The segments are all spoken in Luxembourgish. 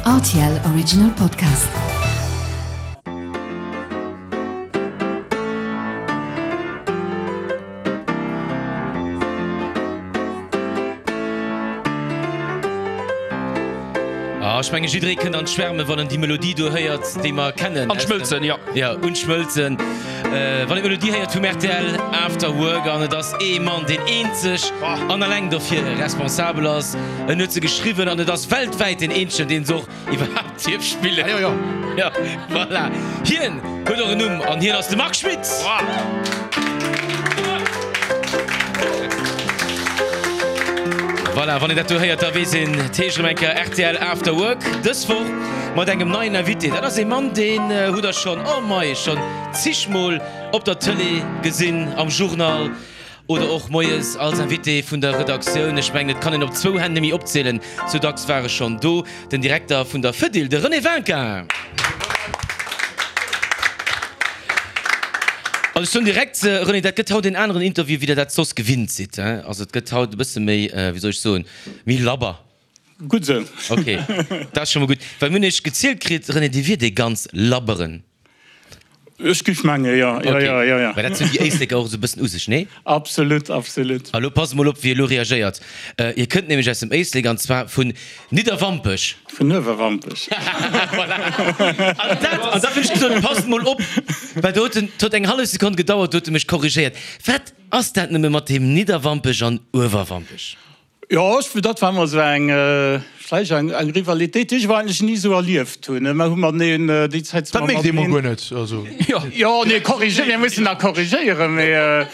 Rtl Original Podcast. Ah, ech menge jidderee kënnt an d'Schwärme wann en déi Melodie do héiert, déi mer kennen. An d'Schmëlzen, jo. Ja, un d'Schmëlzen. Wann een d'Melodie héiert vum rtl After Work an et ass ee Mann, deen eenzeg an alleng dofir responsabel ass. En huet se geschriwwen an et ass weltwäit deen eenzegen, deen se och iwwerhaapt dierf spillen. Jo, jo. Jo, voilà. Hien huet och en Numm an hien ass de Marc Schmitt. Voilà, wann een dat do héiert, da weess een, et heescht erëm eng Kéier rtl After Work. Dës Woch mat engem neien Invité. Dat ass ee Mann, deen hutt der schonn, oh mei, schonn zigmol op der Tëlee gesinn, am Journal oder och moies als Invité vun der Redaktioun. Ech mengen, et kann een op zwou Hänn nemmi opzielen, sou dacks war e schonn do, den Direkter vun der Fedil, de René Winkin. Also ech soen direkt, René, dat gëtt haut een aneren Interview, wéi Der dat soss gewinnt sidd. Also et gëtt haut e bësse méi, wéi soll ech soen, méi labber. Gutt esou. Ok, dat ass scho mol gutt. Well mir hunn Iech gezielt kritt, René, Dir wiert ee ganz labberen. Ech géif menge jo, jo, jo, jo, jo. Well dat sinn déi Éisleker och esou e bëssen u sech, nee? Absolut, absolut. A lo passt mol op, wéi e lo reagéiert. Hie kënnt nämlech aus dem Éislek, an zwar vun Nidderwampech. Vun Uewerwampech. Voilà. An dat, an da hunn ech gesot, passt mol op, well do huet en, et huet eng hallef Sekonn gedauert, do huet e mech korrigéiert. Wat ass dat nëmme mat deem Nidderwampech an Uewerwampech? Jo, ech, dat war ëmmer esou eng, vläicht eng, eng Rivalitéit, déi ech awer eigentlech ni esou erlieft hunn. Mer hu mateneen, déi Zäit si mer Dat mierkt ee mol mateneen. guer net, also. Jo, nee, korrigéieren, mir mussen nach korrigéieren, mee.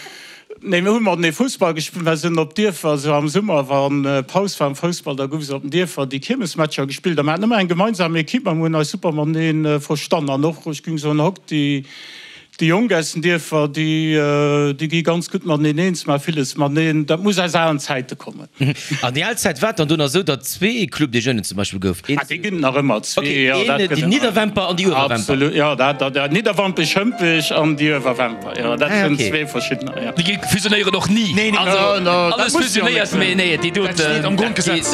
Nee, mir hu matenee Fussball gespillt. Mer sinn op Dierfer, esou am Summer, wa Paus war am Foussball, da gouf se op den Dierfer déi Kiermesmatcher gespillt. A mer haten ëmmer eng gemeinsam Equipe a mer hunn eis super matenee verstan. An och, ech géing soen, haut déi Jonk aus den Dierfer, déi gi ganz gutt mateneen eens, maache villes mateneen. Dat muss aus alen Zäite kommen. An déi al Zäit war et dann do nach esou, datt zwee Club des Jeunes zum Beispill gouf? Ah, déi ginn et nach ëmmer, zwee, jo, dat gëtt et nach. Déi Nidderwämper an déi Uewerwämper. Absolut, jo, dat, dat, Nidderwampech, Hëmpech an déi Uewerwämper, jo, dat sinn zwee verschiddener, jo. Déi fusionéieren och ni. Nee, nee, also, alles fusionéiert, mee nee, déi doten. Dat steet am Grondgesetz.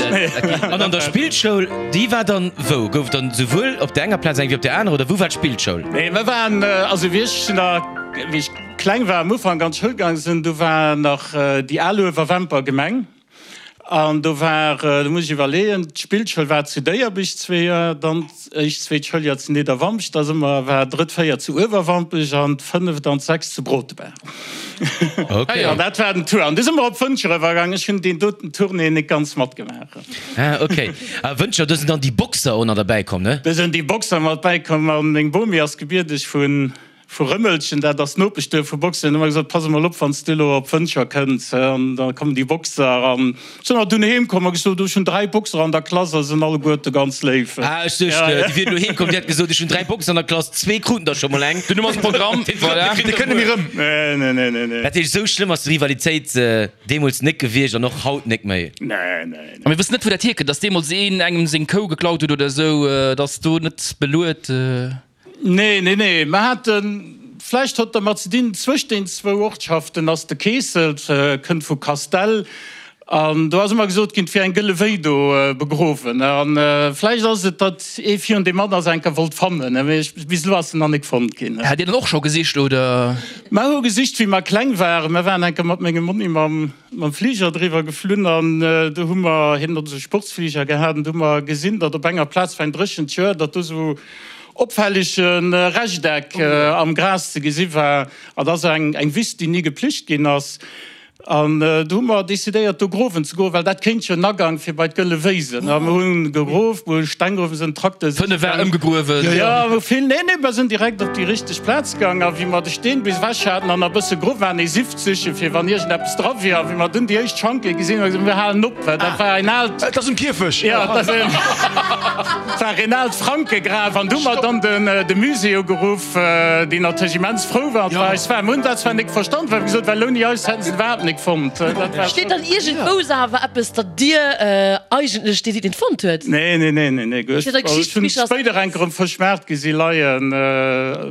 An an der Spillschoul, déi war dann wou? Gouf et dann souwuel op der enger Plaz eng wéi op der anerer, oder wou war d'Spillschoul? Nee, mir waren, also wéi ech nach, wéi ech. Kleng war, am Ufank an d'Schoul gaang sinn, do war nach déi al Uewerwemper Gemeng an do war, do muss ech iwwerleeën, d'Spillschoul war zu Déierbech zwee Joer, dann d'éischt, zweet Schouljoer zu Nidderwampech, da si mer, war drëtt, véiert zu Uewerwampech an d'fënneft an d'sechst zu Brotebaach. Okay. An dat war den Tour. An du si mer op Wëntger eriwwergaang. Ech hunn deen doten Tournée net ganz matgemaach. Ah, okay. A Wëntger, do sinn dann déi Boxer och nach derbäi komm, ne? Do sinn déi Boxer mat bäikomm a meng Bomi ass gebierdeg vun Vu Rëmelchen, dat ass d'Nopeschduerf vu Boxtel, hunn ëmmer gesot, Pass emol op, wann s du elo op Wëntger kënns, an da kommen déi Boxer. An sinn awer dunn heem komm a gesot, Ech hunn 3 Boxer an der Klass a se sinn alleguerte ganz léif. Ah, ech duecht, déi wier elo heem komm, déi hätt gesot, Ech hunn 3 Boxer an der Klass, zwee kruten der scho mol eng. Den Numm ass Programm, voilà. Déi kënne mir erëm. Nee, nee, nee, nee, nee. Dat heescht, esou schlëmm ass d'Rivalitéit deemools nek gewiescht an och haut nek méi? Nee, nee, nee. A mir wëssen net, wou dat hierkënnt, dass deemools een engem seng Kou geklaut huet oder esou, dass do net beluet. Nee, nee, nee, mer haten, vläicht hott dermat ze dinn, zwëscht den zwou Ortschaften ass de Keesselt, kënnt vu Kastell, an do ass ëmmer gesot ginn, et wier eng gëlle Wéi do begruewen. A vläicht ass et, datt ee virun deem anner se enker wollt fannen, mee ech, bis elo ass se nach nik fonnt ginn. Hat Dir dann och scho gesicht, oder? Mer hu gesicht, wéi mer kleng waren. Mer waren enker mat mengem Monni mam. Mam Fliger driwwer geflunn an do hu mer, hien huet esou Sportsfliger gehat, an do hu mer gesinn, datt op enger Plaz war en dréchent Joer, datt do esou opfällege Rechteck am Gras ze gesi war. An dat ass eng eng Wiss, déi ni geplicht ginn ass. An do hu mer decidéiert, do growen ze goen, well dat kéint jo en Agank fir bei d'Gëlle Wéi sinn. A mer hu gegrof, mer hu Steng geruff, mer sinn Trakter siche Fënnef war gaang. ëmgegruewen. Jo, jo, vill, nee, nee, mer sinn direkt op déi richteg Plaz gaang. A wéi mer de Steen bis ewech haten an e bësse grof waren, ee Sift sichen, fir wann iergendeppes dra wier. A wéi mer dunn déi éischt Schanke gesinn hunn, hu mer gesot, mir halen op, well dat war en aalt. Et ass um Kierfecht! Jo, et ass en, et war en aalt Frankegraf. An du hu mer dann den, de Musée ugeruff, deen natierlech immens frou war. Et war eis war. Mir hunn dat zwar nik verstanden, well mir gesot, well ouni eis hätten se et iwwerhaapt nik fonnt. Dat war. Steet dann iergendwou awer eppes, datt Dir eigentlech dee sidd, deen et fonnt huet? Nee, nee, nee, nee, nee. Ech hunn spéider enker um Fëschmaart gesi leien.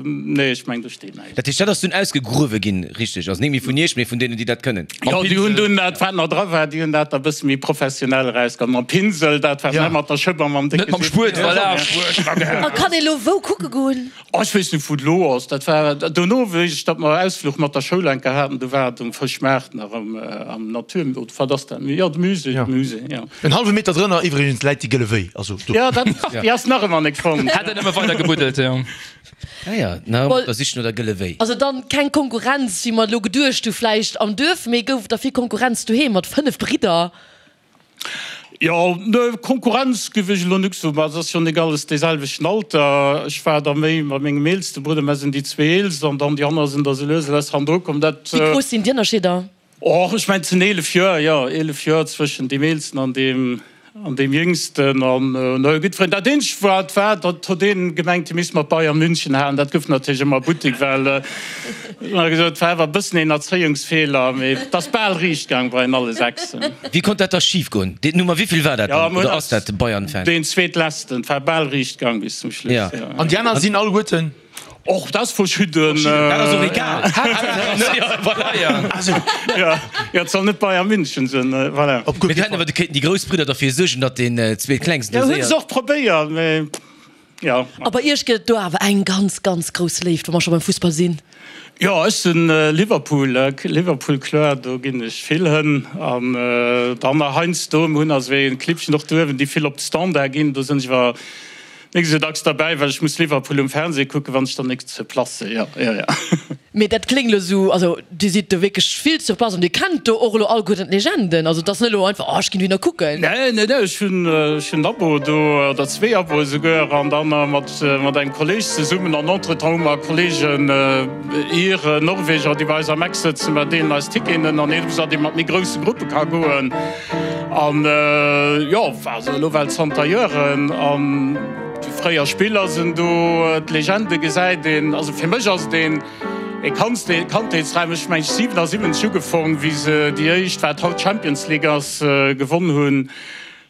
Nee, ech meng, do steet näischt. Dat heescht, dat ass dunn ausgegruewe ginn, richteg? Also net méi vun Iech, mee vun deenen, déi dat kënnen? Jo, déi hunn dunn dat, wat nach dra war, déi hunn dat da bësse méi professionell erausgeholl. Mam Pinsel, dat war net mat der Schëpp a mam décke Net mam Spuet. Voilà. A kann ee lo wou kucke goen? Oh, ech weess net wou et elo ass. Dat war dono, wéi ech, datt mer Ausfluch mat der Schoul eng Kéier haten, do war et um Fëschmaart nach am am Natur, oder wat ass dat? Jo, de Musée, de Musée, jo. En hallwe Meter drënner iwwregens läit déi gëlle Wéi, also do. Jo, dat, déi ass nach ëmmer nek fonnt. Hätt en ëmmer weider gebuddelt, jo. Ah ja, nach ëmmer op der Sich no der gëlle Wéi. Also dann keng Konkurrenz, wéi mer elo geduecht hu vläicht am Duerf, mee gouf et da vill Konkurrenz doheem mat 5 Bridder? Jo, ne, Konkurrenz giff ech elo nik soen, mä et ass jo nik alles dee selwechten Alter. Ech war da méi mat mengem eelste Brudder, mer sinn déi zwee eelst, an dann déi aner sinn da sou lues a lues hannendru komm. Dat. Wéi grouss sinn déi Ënnerscheeder? Och, ech mengen, et sinn 11 Joer, jo, 11 Joer zwëschen deem eelsten an deem an deem jéngsten. An no jiddwereen, dat eenzegt wat war, dat huet een gemengt, hie misst mat Bayern München halen. Dat gouf natierlech ëmmer Buttek, well Wéi gesot, war awer e bëssen een Erzéiungsfeeler, mee et ass bal riicht gaang bei en alle sechsen. Wéi konnt dat da schif goen? Deen Nummer wéivill war dat dann? Oder ass dat de Bayern-Fan? Deen zweetletzten. Et war bal riicht gaang bis zum Schluss, jo. An déi aner sinn alleguerten? Och dat ass verschidden. Dat ass och egal. Jo, jo, et soll net Bayern München sinn, voilà. Mee du hätten awer kéinten déi grouss Bridder derfir suergen, datt deen zweetklengsten do séier. Jo, hunn se och probéiert, mee. Jo. A bei iech gëtt et do awer eng ganz, ganz grouss Léift, wa mer scho beim Fussball sinn. Jo, ech sinn Liverpool, Liverpool kloer, do ginn ech vill hënn. An dann nach heiansdo, mir hunn also ee Clibbchen och do uewen, déi vill op de Standard ginn, do sinn ech awer nik esou dacks derbäi, well ech muss Liverpool um Fernseh kucken, wann ech dann nik zur Place sinn. Jo, jo, jo. Mee dat kléngt elo esou, also Dir sidd do wierklech vill sur place an Dir kennt do och elo alleguerten d'Legenden. Also et ass net elo einfach, oh ech ginn dohinner kucken. Nee, nee, nee, ech hunn, ech hunn en Abo do, oder zwee Aboe souguer, an dann mat, mat engem Kolleeg zesummen. An entretemps hu mer Kolleegen, Iren, Norweger, déi bei eis am Eck sëtzen, mer deelen eis Ticketen an eben esou, datt ee mat méi grousse Gruppe ka goen. An jo, also elo well zanter Joeren. An déi fréier Spiller sinn do, d'Legende gesäit een. Also fir mech ass et een. E Kandheetsdram, ech mengen 77 ugefong, wéi se déi éischt, wat haut Champions League ass, gewonn hunn.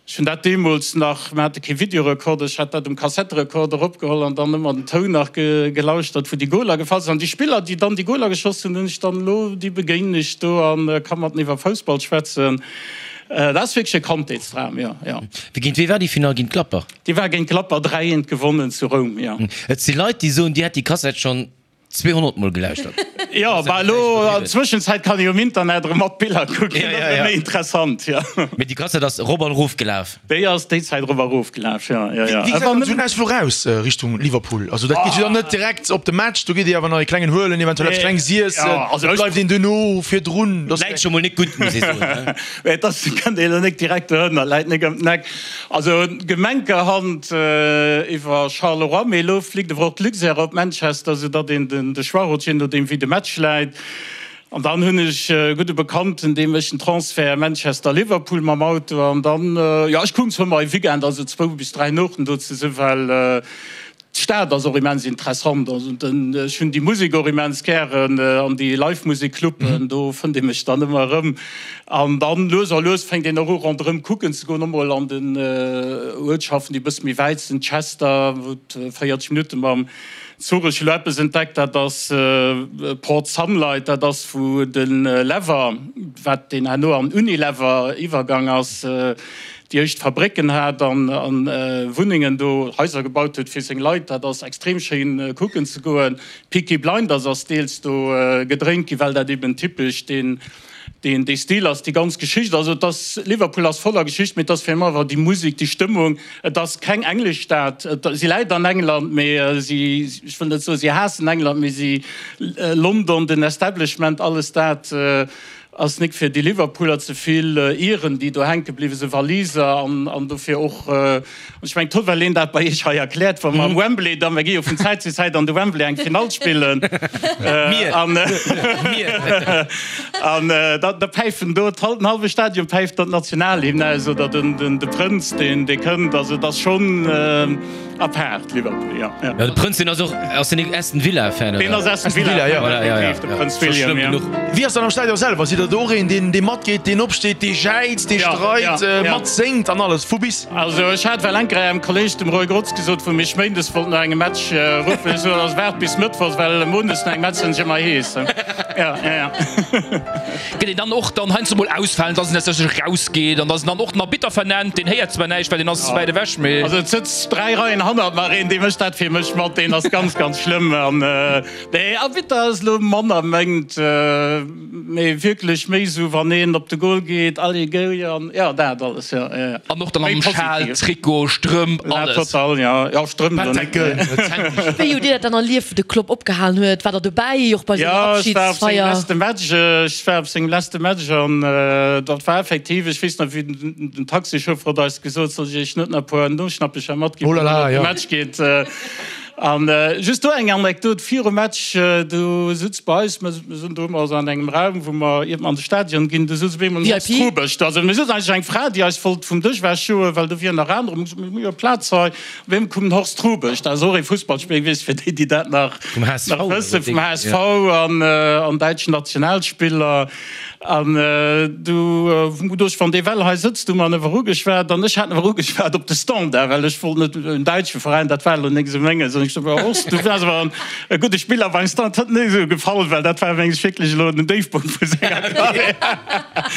Ech hunn dat deemools nach, mir hate kee Videorekorder, ech hat dat um Kassetterekorder opgeholl an dann ëmmer den Toun nach gelauschtert, wou déi Goler gefall sinn. An déi Spiller, déi dann déi Goler geschoss hunn, hunn ech dann elo, déi begéinen ech do a ka mat iwwer Foussball schwätzen. Dat ass wierklech e Kandheetsdram, jo, jo. Wéi géint wee war déi Finall? Géint Gladbach? Déi war géint Gladbach, 3, 1 gewonnen zu Roum, jo. Et si Leit, déi soen, dir hätt déi Kassett schonn 200 mol gelauschtert. Jo, bah elo an Zwëschenzäit kann ee jo um Internet erëm mat Biller kucken, dat ass erëm méi interessant, jo. Mee déi Kassett ass erop an erof gelaf. Déi ass déi Zäit erop a erof gelaf, jo, jo, jo. Wéi gesäit dann esou en Ausfluch aus Richtung Liverpool? Also dat geet jo dann net direkt op de Match, do geet ee awer nach ee klengen huelen, eventuell eppes klenges iessen, et bleift een duerno virdrun. Läit scho mol net gutt, muss ee soen, ne? Mee et ass, kënnt ee elo net direkt dohënner, läit nek ëm d'Neck. Also Gemenkerhand iwwer Charleroi, mee elo flitt ewer och d'Luxair op Manchester, sou datt een de Choix huet, je nodeem wéi de Match läit. An dann hunn ech e gudde Bekannten, dee mécht den Transfert Manchester-Liverpool mam Auto. An dann, jo, ech kucken zwar mol e Weekend, also zwou bis dräi Nuechten do ze sinn, well D'Stad ass och immens interessant. Also den, ech hunn déi Musek och immens gären an déi Live-Musek-Cluben, do fënnt ee mech dann ëmmer erëm. An dann lues a lues fänkt een och u ronderëm kucken ze goen, och mol an den Uertschaften, déi e bësse méi wäit sinn, Chester, wou et 40 Minutte mam Zuch. Ech hu lo eppes entdeckt, dat ass Port Sunlight, dat ass wou de Lever, wat deen herno an Unilever iwwergang ass, déi éischt Fabrécken hat an Wunnengen do, Haiser gebaut huet fir seng Leit. Dat ass extrem schéin kucken ze goen. Peaky Blinders ass deels do gedréint ginn, well dat eben typesch deen dee Stil ass, déi ganz Geschicht. Also et ass, Liverpool ass voller Geschicht, mee et ass fir mech awer déi Musek, déi Stëmmung. Et ass keng englesch Stad, si läit an England, mee si, ech wëll net soen, si haassen England, mee si, London, den Establishment, alles dat. Ass nik fir déi Liverpooler ze vill Iren déi do hänke bliwwe se Waliser an an dofir och an ech mengen toll well een dat bei iech hei erkläert wa mer am Wembley da mer gi jo vun Zäit zu Zäit an de Wembley eng Finall spillen an an da da päifen do den hallwe Stadion päift dann d'Nationalhymn aus oder den den de Prënz deen dee kënnt also et ass schonn Apaart Liverpool, jo. Jo, de Prënz, deen ass och, ass deen Aston Villa Fan, oder? Deen ass Aston Villa Fan, Voilà, ja, ja. definitiv, de Prënz William, jo. Wéi ass dann am Stadion selwer? Sidd der. Sidd Der och een, deen dee matgeet, deen opsteet, dee jäizt, dee streit, matséngt an alles, vu bis? Also ech hat well enker engem Kolleg, dem Roy Grotz, gesot, wou mech méindes wollt no engem Match ruffen, ech sot, also waart bis mëttwochs, well mondes no engem Match sinn ech ëmmer hees. Ja, ja, ja. Gëtt een dann och dann heiansdo mol ausfalen, dass en tatsächlech rausgeet an dass en dann och den Arbitter vernennt, deen héiert zwar näischt, well deen ass wäit ewech, mee. Also et sëtzt 3 Reien hannert mer een, dee mécht dat fir mech mat, deen ass ganz, ganz schlëmm. An nee, Arbitter ass elo manner mengt, mee wierklech méi esou wann een op de Goal geet, allez go, an jo dat alles, jo, jo, jo. An och dann am Schal, Trikot, Strëmp, alles. Total, jo, jo, Strëmp elo net, nee. Wéi hutt Dir dat dann erlieft, wou de Klopp opgehalen huet? Waart Der dobäi, och bei senger Abschidsfeier? Jo, ech war op sengem leschte Match, ech war op sengem leschte Match an dat war effektiv, ech weess nach wéi den Taxichauffeur huet eis gesot, soll ech Iech net nach e puer Noschnappecher matginn, wann Der op de Match geet. An just do eng Anekdot, virum Match, do sutz bei eis, mir sinn do ëmmer esou an engem Raum, wou mer iert mer an de Stadion ginn, do sutz op eemol en Horst Hrubesch do. Also mir sutz eigentlech eng Fra, déi eis wollt vum Dësch ewechjoen, well do wieren nach anerer. Mir hu gesot, mir hu jo Plaz hei. Op eemol koum den Horst Hrubesch, dat ass och ee Fussballspiller gewiescht, fir déi, déi dat nach wëssen, vum HSV an däitschen Nationalspiller. An du hu geduecht, wann dee well hei sëtzt, hu mer en ewwer ugeschwat. An ech hat en ewwer ugeschwat op de Standard, well ech wollt net en däitsche Veräin, dat war elo nik esou menges. An ech sot, Horst, du waars awer e gudde Spiller beim Standard. Dat huet net esou gefall, well dat war menges wierklech elo den Déifpunkt vu senger Karriär.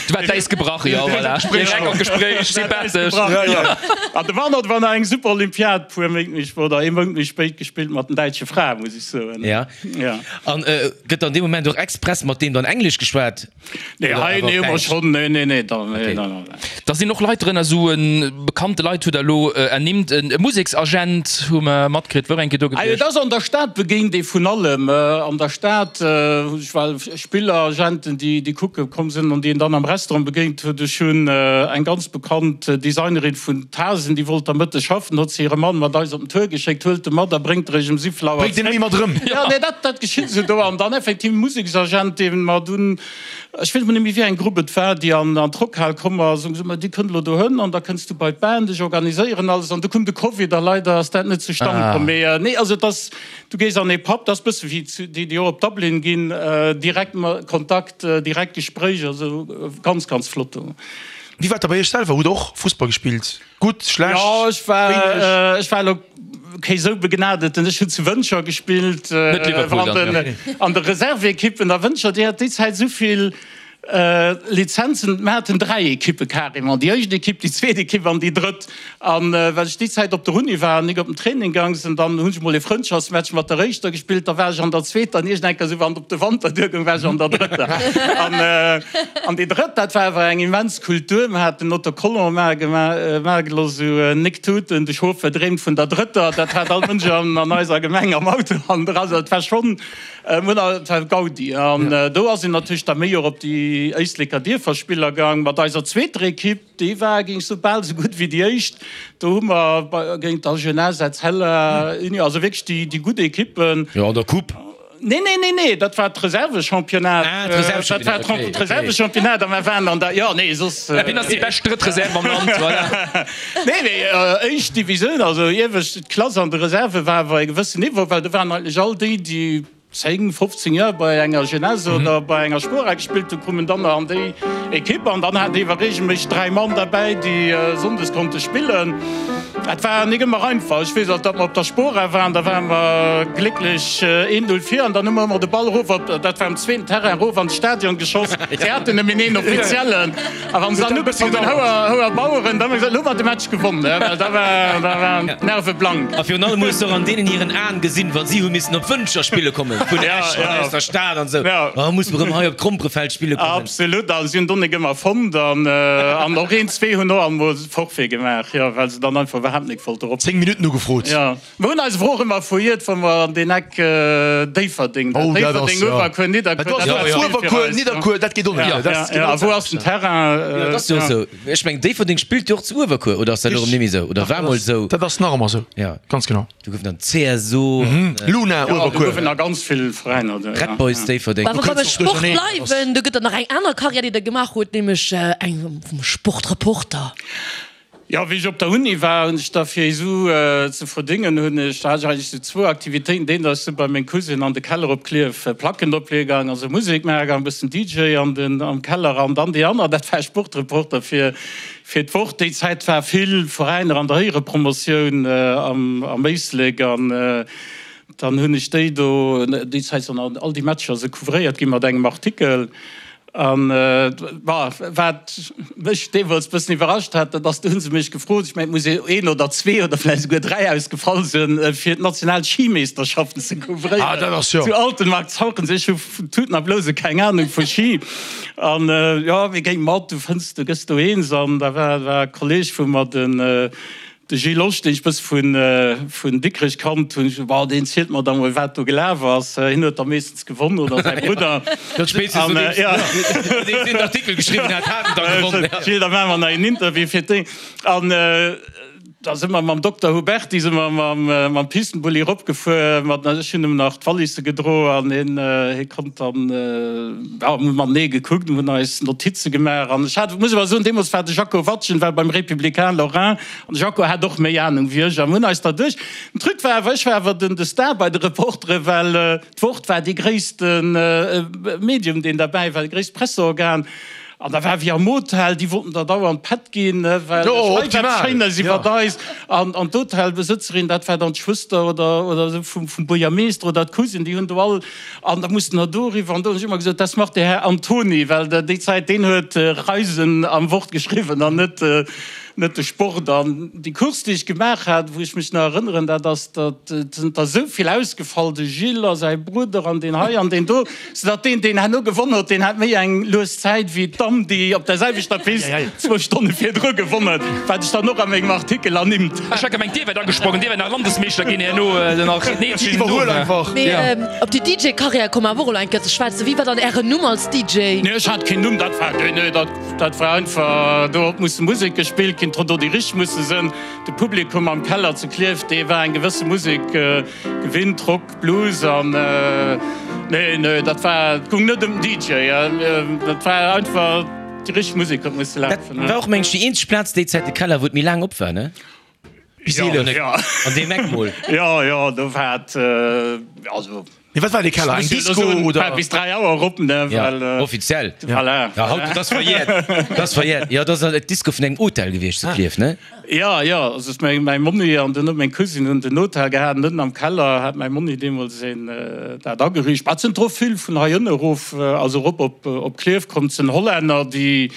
Du war d'Äis gebrach, jo, voilà. Direkt am Gespréich, sympathesch. An de Warnold war nach eng super Olympiad, puer Méint méi, oder ee Mount méi spéit gespillt mat den däitsche Frae, muss ech soen. Ja. Ja. An gëtt dann dee Moment och express mat deem dann Englesch geschwat? Nee, hei, nee, hu mer schonn, nee, nee, nee, da, nee, nee, nee. Da sinn och Leit drënner, esou bekannte Leit hutt Der elo ernimmt, e Museksagent hu mer matkritt, wor eng Kéier do gewiescht. Et ass an der Stad begéint ee vun allem. An der Stad hunn ech well Spilleragenten, déi, déi kucke komm sinn an déi een dann am Restaurant begéint huet. Ech hunn eng ganz bekannt Designerin vun Tasen, déi wollt da Mëtteg schaffen, hott se hire Mann mat eis op den Tour geschéckt, huelt e mat a bréngt er iech um 7 Auer Bréngt en zréck. mat erëm. Jo, nee, dat, dat geschitt esou do. An dann effektiv e Museksagent, dee mer dunn, ech weess mol net méi, wéi eng Grupp et war, déi an, an d'Rockhal komm ass, hunn gesot, ma dir kënnt elo dohënn an da kënns du bei d'Band, ech organiséieren alles. An du koum de Covid a leider ass dat net zustan komm. Mee nee, also et ass, du gees an ee Pub, dat ass e bësse wéi zu, déi, déi och op Dublin ginn, direkt Kontakt, direkt Gespréich, also ganz, ganz flott do. Wéi war et da bei iech selwer? Hutt der och Fussball gespillt? Gutt, schlecht, Jo, ech war, wéineg? ech war elo kee sou Begnadeten. Ech hunn zu Wëntger gespillt, Net Liverpool an dann, den, an de Reserveekippen. A Wëntger, déi hat déi Zäit esou vill Lizenzen, mir haten 3 Ekippe carrément, déi éischt Ekipp, déi zweet Ekipp an déi drëtt. An well ech déi Zäit op der Uni war an nik op den Training gaang sinn, dann hunn ech mol ee Frëndschaftsmatch mat der éischter gespillt, da war ech an der zweeter an iergend eng Kéier esou wann et op de Wanter duergoung, war ech an der drëtter. An an déi drëtt, dat war awer eng immens Kultur. Mir haten Autocollant maache maache gelooss, esou Nik Tuten, de Chauffeur dreemt vun der drëtter. Dat hat all Mënsch an an eiser Gemeng am Auto hannendra. Also et war schonn, mir hunn, et war Gaudi. An do ass een natierlech da méi och op déi Éisleker Dierferspiller gaang mat eiser zweeter Ekipp. Déi war, géing ech soen, bal esou gutt wéi déi éischt. Do hu mer géint der Jeunesse, Etzella, Union, also wierklech déi, déi gutt Ekippen. Jo, an der Coupe. Nee, nee, nee, nee, dat war d'Reservechampionnat. Ah, d'Reservechampionnat, Dat war okay, okay. d'Reservechampionnat a mer waren an der, jo, nee, soss. Wien ass déi bescht drëtt Reserve am Land? Voilà. Nee, mee éischt Divisioun, also iewescht Klass an de Reserve war awer e gewëssen Niveau, well do waren eigentlech all déi, déi 10, 15 Joer bei enger Jeunesse oder bei enger Spora gespillt hunn, koumen dann nach an déi Ekipp an dann hat een iwwer regelméisseg 3 Mann derbäi, déi sonndes konnte spillen. Dat war nik ëmmer einfach. Ech weess nach, datt mer op der Spora waren, da ware mer glécklech 1, 0 vir an dann hu mer ëmmer de Ball erof op, dat war um zweeten Terrain, erof an de Stadion geschoss. Si haten nëmmen een Offiziellen a wann se dann ugefaangen hunn, Houer, houer Baueren, dann hu mer gesot, elo hu mer de Match gewonnen, well da war, da waren d'Nerve blank. A virun allem hues de och an deenen hiren Aen gesinn, wa si hu missen op Wëntger spille kommen, vun Esch an aus der Stad an esou, oh muss mer erëm hei op d'Gromperefeld spille kommen. Absolut, a si hunn d'Onnek ëmmer fonnt an an och een, zwee hunn och alt mol Forfait gemaach, jo, well se dann einfach iwwerhaapt nik wollte rop. 10 Minutten ugefrot. Jo, mer hunn eis awer och ëmmer verhiert, wa mer an deen Eck Déifferdeng, Oh, dat ass, Déifferdeng, jo. Uewerkuer, Nidderkuer, Dat ass, dat war ze vill fir Uewerkuer, eis. Nidderkuer, dat geet och net. Ja, Dat ass ja, genau a wou ass den Terrain? Jo, dat ass jo och esou. Ech mengen, Déifferdeng spillt jo och zu Uewerkuer, oder ass dat elo erëm net méi esou? Oder war mol esou? Dat ass nach ëmmer esou. Ja. Ganz genau. Do goufen dann CSO an Luna Ja, do Uewerkuer. goufen nach ganz vill Veräiner do, ja. Red Boys Déifferdeng. Wa mer beim kënns och Sport duercherneen. bleiwen, do gëtt et nach eng aner Karriär, déi Der gemaach hutt, nämlech eng vum Sportreporter. Jo, wéi ech op der Uni war, hunn ech da fir Isu ze verdéngen, hunn ech, da hat ech eigentlech sou zwou Aktivitéiten. Deen, datt ech sou bei meng Cousine an de Keller op Klierf Placken opleeë gaang, also Musek maache gaang, e bëssen DJ an den, am Keller. An dann déi aner, dat war Sportreporter fir, fir d'Wort. Déi Zäit war vill Veräiner an der Éierepromotioun am, am Éislek an dann hunn ech déi do, déi Zäit sinn all déi Matcher sou couvréiert gi mat engem Artikel. An bah, wat mech deemools bëssen iwwerrascht hat, dat ass, do hu se mech gefrot, ech mengen, et muss een oder zwee oder vläicht esouguer dräi ausgefall sinn, fir d'national Schimeeschterschaften ze couvréieren. Ah, dat ass jo. Zu Altenmarkt-Zauchensee. Ech hu vun Tuten a Blouse keng Anung vu Schi. An jo, mir géing mat, du fënns, du gëss do eens. An da war, war e Kolleeg vu mer, den, De Gilles Losch, deen ech bësse vun vun Dikrech kannt hunn, ech bon, deen zielt mer da mol wat do gelaf ass. Hien huet da meeschtens gewonn oder säi Brudder. Dat spéitstens An, nodeems ja. nodeems hien den Artikel geschriwwen hat, hat en da gewonnen. Ja. Gilles, da maache mer nach een Interview fir déi. An da si mer mam Dokter Huberty si mer mam mam Pistenbulli eropgefuer mat, ech hunn em nach d'Wallisse gedro an hien hie konnt dann, ja, mir hu matenee gekuckt, mir hunn eis Notize gemaach an ech hat, muss awer soen, deemools war de Jaco Watgen war beim Républicain Lorrain An de Jaco hat och méi Ahnung wéi ech a mir hunn eis derduerch. Den Truc war awer, ech war awer den de Star bei de Reportere, well d'Wort war dee gréisste Medium, deen derbäi war, dee gréisst Presseorgan. An da war wéi am Hotel, déi wollten der dauernd Pätt ginn, well schreif eppes Schéines iwwert eis. An an d'Hotelbesëtzerin, dat war dann d'Schwëster oder oder esou vum vum Buergermeeschter oder d'Cousine, déi hunn do all, an da mussten der doriwwer. An do hunn ech ëmmer gesot, das macht der Herr Antoni, well déi Zäit, deen huet Reisen am Wort geschriwwen an net Net de Sport. An déi Course, déi ech gemaach hat, wou ech mech nach erënneren, dat ass, datt et sinn der esou vill ausgefall, de Gilles a säi Brudder an deen hei an deen do, soudatt deen, deen herno gewonn huet, deen hat méi eng lues Zäit wéi d'Damm, déi op der selwechter Pist zwou Stonne virdru gewonn huet, wat ech dann och a mengem Artikel ernimmt. Ech hat gemengt, Dir wäert agesprongen, Dir wäert nach Landesmeeschter ginn herno, nach den Iwwerhuel einfach. Mee op déi DJ-Karriär komme mer awer och elo eng Kéier ze schwätzen. Wéi war dann Ären Numm als DJ? Nee, ech hat keen Numm, dat war, nee, nee, dat. Dat war einfach, do huet musse Musek gespillt ginn, do déi richteg musse sënn. De Publikum am Keller zu Klierf, dee war eng gewësse Musek gewinnt, Rock, Blues an nee, nee, dat war, et goung net ëm den DJ, dat war einfach déi richteg Musek huet musse lafen. Dat war och, meng ech, déi eenzeg Plaz déi Zäit, de Keller, wou et méi laang op war, ne? Bis 11 an deem Eck mol. Jo, jo, do war et, also. Mee wat war dee Keller? Eng Disco oder? Bis 3 Auer erop, ne? Ja, offiziell. Voilà. Ja, haut, dat ass verjährt. Dat ass verjährt. Jo, dat ass d'Disco vun engem Hotel gewiescht zu Klierf, ne? Ja, ja, also ass mäi, mäi Monni an dunn huet meng Cousine hunn den Hotel gehat an ënnen am Keller hat mäi Monni deemools een dat ageriicht. Mä et sinn dro vill vun hei ënne erof, also erop op, op Klierf komm. Et sinn Hollänner, déi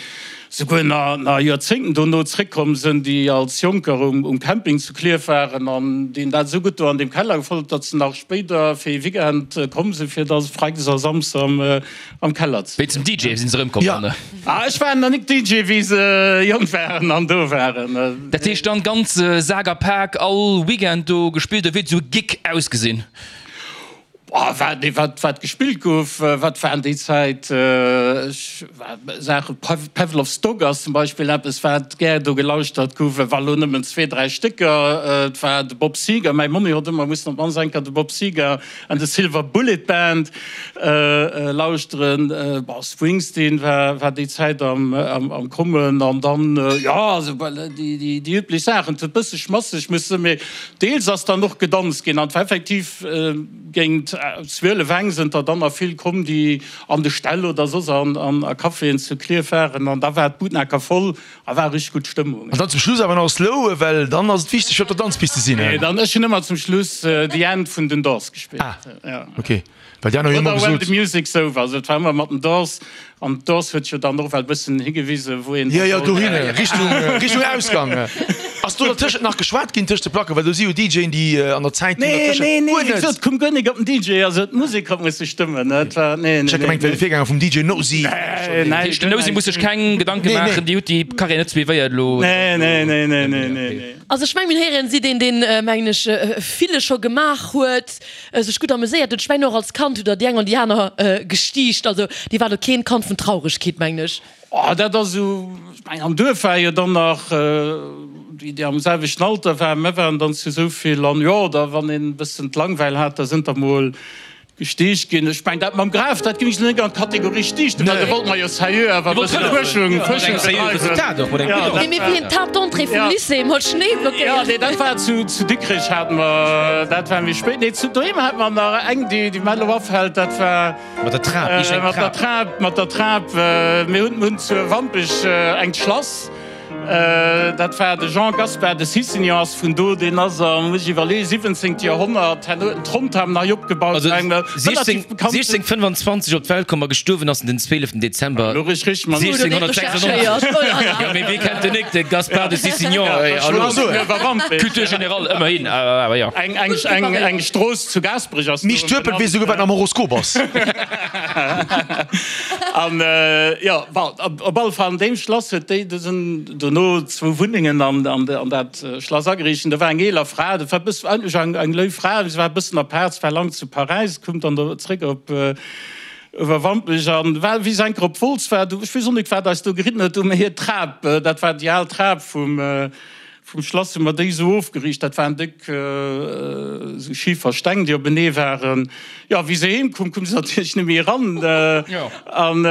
souguer nach Joerzéngten dono zréckkomm sënn, déi als Jonker um Camping zu Klierf waren an deenen dat esou gutt do an deem Keller gefall huet, datt se nach spéider fir ee Weekend komm sinn, fir da Freides a Samsdes am Keller ze. Wéi zum DJ sinn se erëmkomm dann? Ah, ech war nach nik DJ, wéi se jonk waren an do waren. Dat heescht dann ganz Sak a Pak all Weekend do gespillt oder wéi huet esou e Gig ausgesinn? Wat wat gespillt gouf, wat waren déi Zäit Saachen, Pavlov's Dog ass zum Beispill eppes wat gär do gelauschtert gouf, war lo nëmmen zwee, dräi Stécker. Et war de Bob Seger, mäi Monni huet ëmmer mussen op d'mannst eng Kéier de Bob Seger and the Silver Bullet Band lauschteren. Bon, Springsteen war war déi Zäit am am Kommen an dann, jo, also déi déi üblech Saachen. Et huet bësse schmasseg musse, mee deels ass dann och gedanzt ginn an et war effektiv, Géint 12 eng sënn der dann nach vill komm, déi an de Ställ oder soss an a Caféen zu Klierf waren an da war d'Butnaker voll a war richteg gutt Stëmmung. An dann zum Schluss awer nach Slow, well dann ass et wichteg fir op der Danzpist ze sinn. Nee, dann ech hunn ëmmer zum Schluss The End vun den Doors gespillt. Ah, ok, well déi aner hunn ëmmer Oder When gesot. the Music's Over, also et war ëmmer mat den Doors. An d'Doors huet jo dann och well bëssen higewisen, wou een Jo, jo, dohinner, Richtung, Richtung Ausgang. Ass do dertëschent nach geschwat ginn, tëscht de Placken? Well do si jo DJen, déi an der Zäit do Nee, dertëschent. nee, nee, Guer wéi net? gesot, koum guer nik op den DJ, also d'Musek huet musse stëmmen, et war, nee, nee, Ech hat nee. gemengt, wär de Virgänger vum DJ Nosy. Nee, Dat heescht, den Nosy muss sech keng Gedanke Nee, nee. maachen, déi huet déi Karriär net suivéiert elo. Nee, nee, nee, nee, nee, nee, nee. Also ech mengen, mir héieren si deen, deen, mengen ech, ville scho gemaach huet. Sech gutt ameséiert huet. Ech mengen och als Kand hutt der déi eng an déi aner gestiicht. Also dir waart och keen Kand vun Trauregkeet, mengen ech. Oh, dat ass esou, ech mengen am Duerf war jo dann nach déi, déi am selwechten Alter waren, mir waren dann zu esou vill an jo, da wann een e bëssen d'Langweil hat, da sënn der mol. Gestiicht ginn. Ech mengen, dat mam Graf, dat géing ech net an d'Kategorie Stiichten, well do wollte mer jo seriö awer e bësse Fuerschung, Fuerschung bedreiwen. Nee, mee wéi een d'Table d'entrée vum Lycée mat Schnéi blockéiert. Jo, nee, dat war zu, zu Dikrech hate mer, dat war méi spéit. Nee, zu doheem hate mer nach eng, déi, déi mer elo afält, dat war. Mat der Trap, iergend eng Trap. Mat der Trap, mat der Trap. Mir hunn, hunn zu Wampech engt Schlass. Dat war de Jean Gaspard de Cicignon ass vun do, deen ass am, muss ech iwwerleeën, 17. Joerhonnert, herno huet en d'Rontham nei opgebaut. Also 1625 op d'Welt komm a gestuerwen ass en den 12. Dezember 1696. Jo, mee wie kennt den nik, de Gaspard de Cicignon, hallo. Culture générale, ëmmerhin, awer jo. Eng Strooss zu Gaasperech ass Mich Turpel weess esouguer wat am Horoskop ass. An jo, bon, op alle Fall an deem Schlass huet déi, do sinn dono zwou Wunnengen an an dat Schlass ageriicht. An do war eng eeler Fra, dat war e bëssen, eigentlech eng eng léif Fra, mee se war e bëssen apaart, se war laang zu Paräis, koum dann do zréck op Uewerwampech an war, wéi se eng Kéier op Wolz war, do, ech weess och net, wat eis do geritten huet, do hu mir hir Trap, dat war déi al Trap vum, Vum Schlass hu mer déi esou ofgeriicht, dat waren déck esou Schifer Steng, déi openee waren. Jo, wéi se heem koum, koum se natierlech net méi eran. An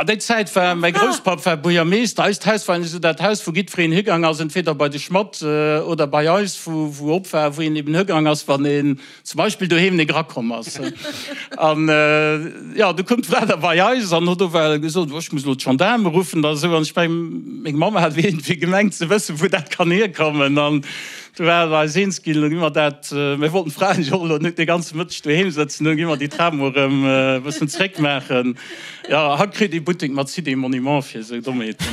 déi Zäit war, mäi Grousspapp war Buergermeeschter, eist Haus war esou dat Haus, wou jiddwereen higaang ass, entweder bei de Schmatt oder bei eis, wou wou op war, wou een eben higaang ass, wann een zum Beispill doheem nik erakomm ass. An jo, du koum d'Fra da bei eis an huet owell gesot, oh, ech muss elo d'Gendaarme ruffen oder esou. An ech mengen, meng Mamm hat iergendwéi gemengt ze wëssen, wou dat kann hierkommen. An du war et eis eens ginn, elo gi mer dat, mir wollten d'Fraen jo och elo net de ganze Mëtteg doheem sëtzen, elo gi mer déi Trap mol erëm e bëssen zréckmaachen. Jo, haut kritt ee Buttek mat Cité Monument fir esou Dommheeten.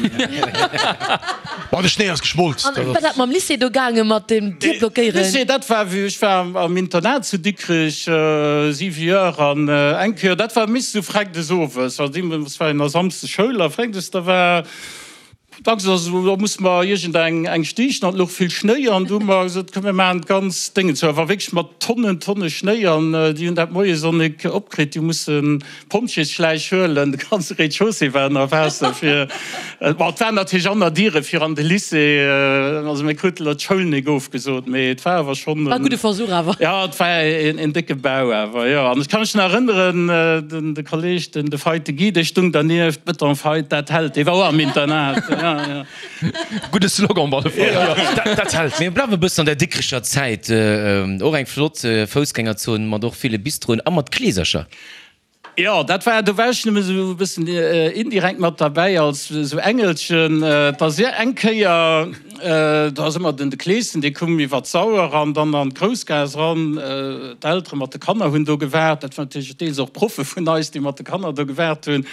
Bon, de Schnéi ass geschmolz. An wéi war dat mam Lycée do gaangen, mat dem Dier blockéieren? Lycée, dat war wéi ech war am Internat zu Dikrech, 7 Joer, an eng Kéier, dat war meeschtens esou Freides owes, also deemools war jo nach Samsdes Schoul a Freides, da war Dacks ass esou, da musse mer iergend eng eng stiichen an et louch vill Schnéi an du hu mer gesot, komm mir maachen d'ganz Déngen zou. Awer wierklech mat Tonnen, Tonne Schnéi an déi hunn dat moies och nik opkritt, déi hu mussen Pompjeesschläich huelen, de ganze Rez-de-chaussée war ënner Waasser fir, bon et waren natierlech aner Diere fir an de Lycée, also mir krute lo d'Schoul nik ofgesot, mee et war awer schonn War e gudde Versuch awer. Jo, et war een décke Bau awer, jo. An ech ka mech nach erënneren, den de Kolleg, den de Feite Guy, dee stung dernieft, Beton Feit, dat hält, dee war och am Internat, jo, jo. Gudde Slogan op alle Fall, jo. Dat, dat hält. Mir bleiwe e bëssen an der Dikrecher Zäit, och eng flott Foussgängerzon mat och ville Bistroen a mat Kleesercher. Jo, dat war, do war ech nëmme sou e bëssen indirekt mat derbäi als sou Engelchen. Et ass eng Kéier, do ass ëmmer den de Kleeschen, dee koum iwwer d'Sauer an dann an d'Groussgaass eran. D'Eltere mat de Kanner hunn do gewaart. Dat waren natierlech deels och Proffe vun eis, déi mat de Kanner do gewaart hunn.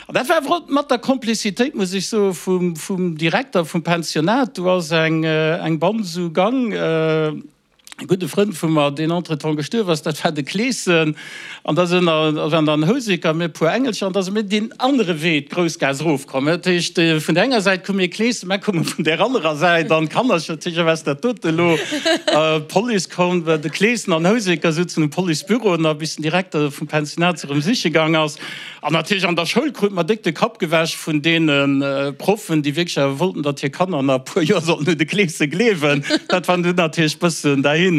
An dat war awer och mat der Komplizitéit, muss ech soen, vum, vum Direkter vum Pensionat. Do ass eng, eng Band esou gang. E gudde Frënd vu mer, deen entretemps gestuerf ass, dat war de Kleeschen, an da sinn der, da waren dann Houseker a mir e puer Engelcher, an da si mir deen anere Wee d'Groussgaass erofkomm. Dat heescht, vun där enger Säit koum mir Kleeschen, mä koume vun där anerer Säit, an d'Kannercher natierlech, wat ass dat dote elo? D'Police koum, de Kleeschen an Houseker souzen um Policebüro, nach bis den Direkter vum Pensionat se erëm siche gaang ass. An natierlech an der Schoul krute mer déck de Kapp gewäsch vun deene Proffen, déi wierklech awer wollten, datt hir Kanner nach e puer Joer sollten un de Kleese gleewen. Dat war dunn natierlech bëssen dahin.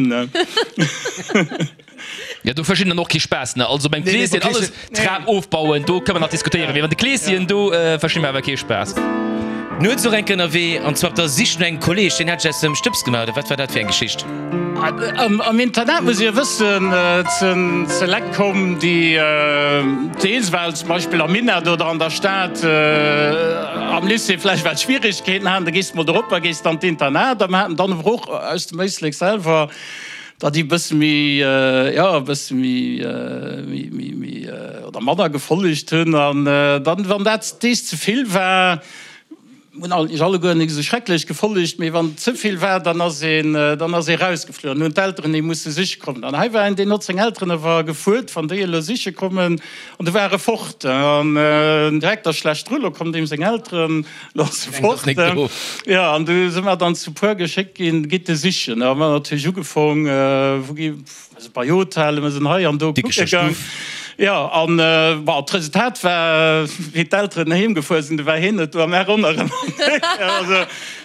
Jo, do verstinn dann och kee Spaass, ne? Also beim Kleeschen alles Trap ofbauen, do kënne mer nach diskutéieren, mee bei de Kleeschen, do versti mer awer kee Spaass. Nuets och eng Kéier ënnerwee, an zwar op der Sich no engem Kolleeg, deen hat sech aus dem Stëbs gemaach, oder wat war dat fir eng Geschicht? Am Internat muss ee wëssen, ze Lekt komm, déi deels well zum Beispill am Minett oder an der Stad am Lycée vläicht well Schwierigkeeten haten, da gees de mol dorop a gees dann d'Internat. A mer haten dann awer och aus dem Éislek selwer der, déi e bësse méi, jo, e bësse méi, méi, méi oder manner gefollegt hunn. An dann, wann dat dees ze vill war, Hunn eigentlech alleguer nik esou schrecklech gefollegt, mee wann et ze vill war, dann ass een, dann ass ee rausgeflu an hunn d'Elteren ee musse siche kommen. An hei war een, deen hott seng Elteren awer gefuert, wann déi elo siche kommen, an du war e fort. An den Direkter schlecht dru, lo kommen deem seng Elteren, lo ass e fort. Jo, an du si mer dann zu puer geschéckt ginn, gitt e sichen. Da hu mer natierlech ugefong, wou gi, Also bei Hotellen, mir sinn hei an do kucke gaang. Jo, an bon, d'Resultat war, wéi d'Elteren heem gefuer sinn, du war heen net do a mär ronderëm. Also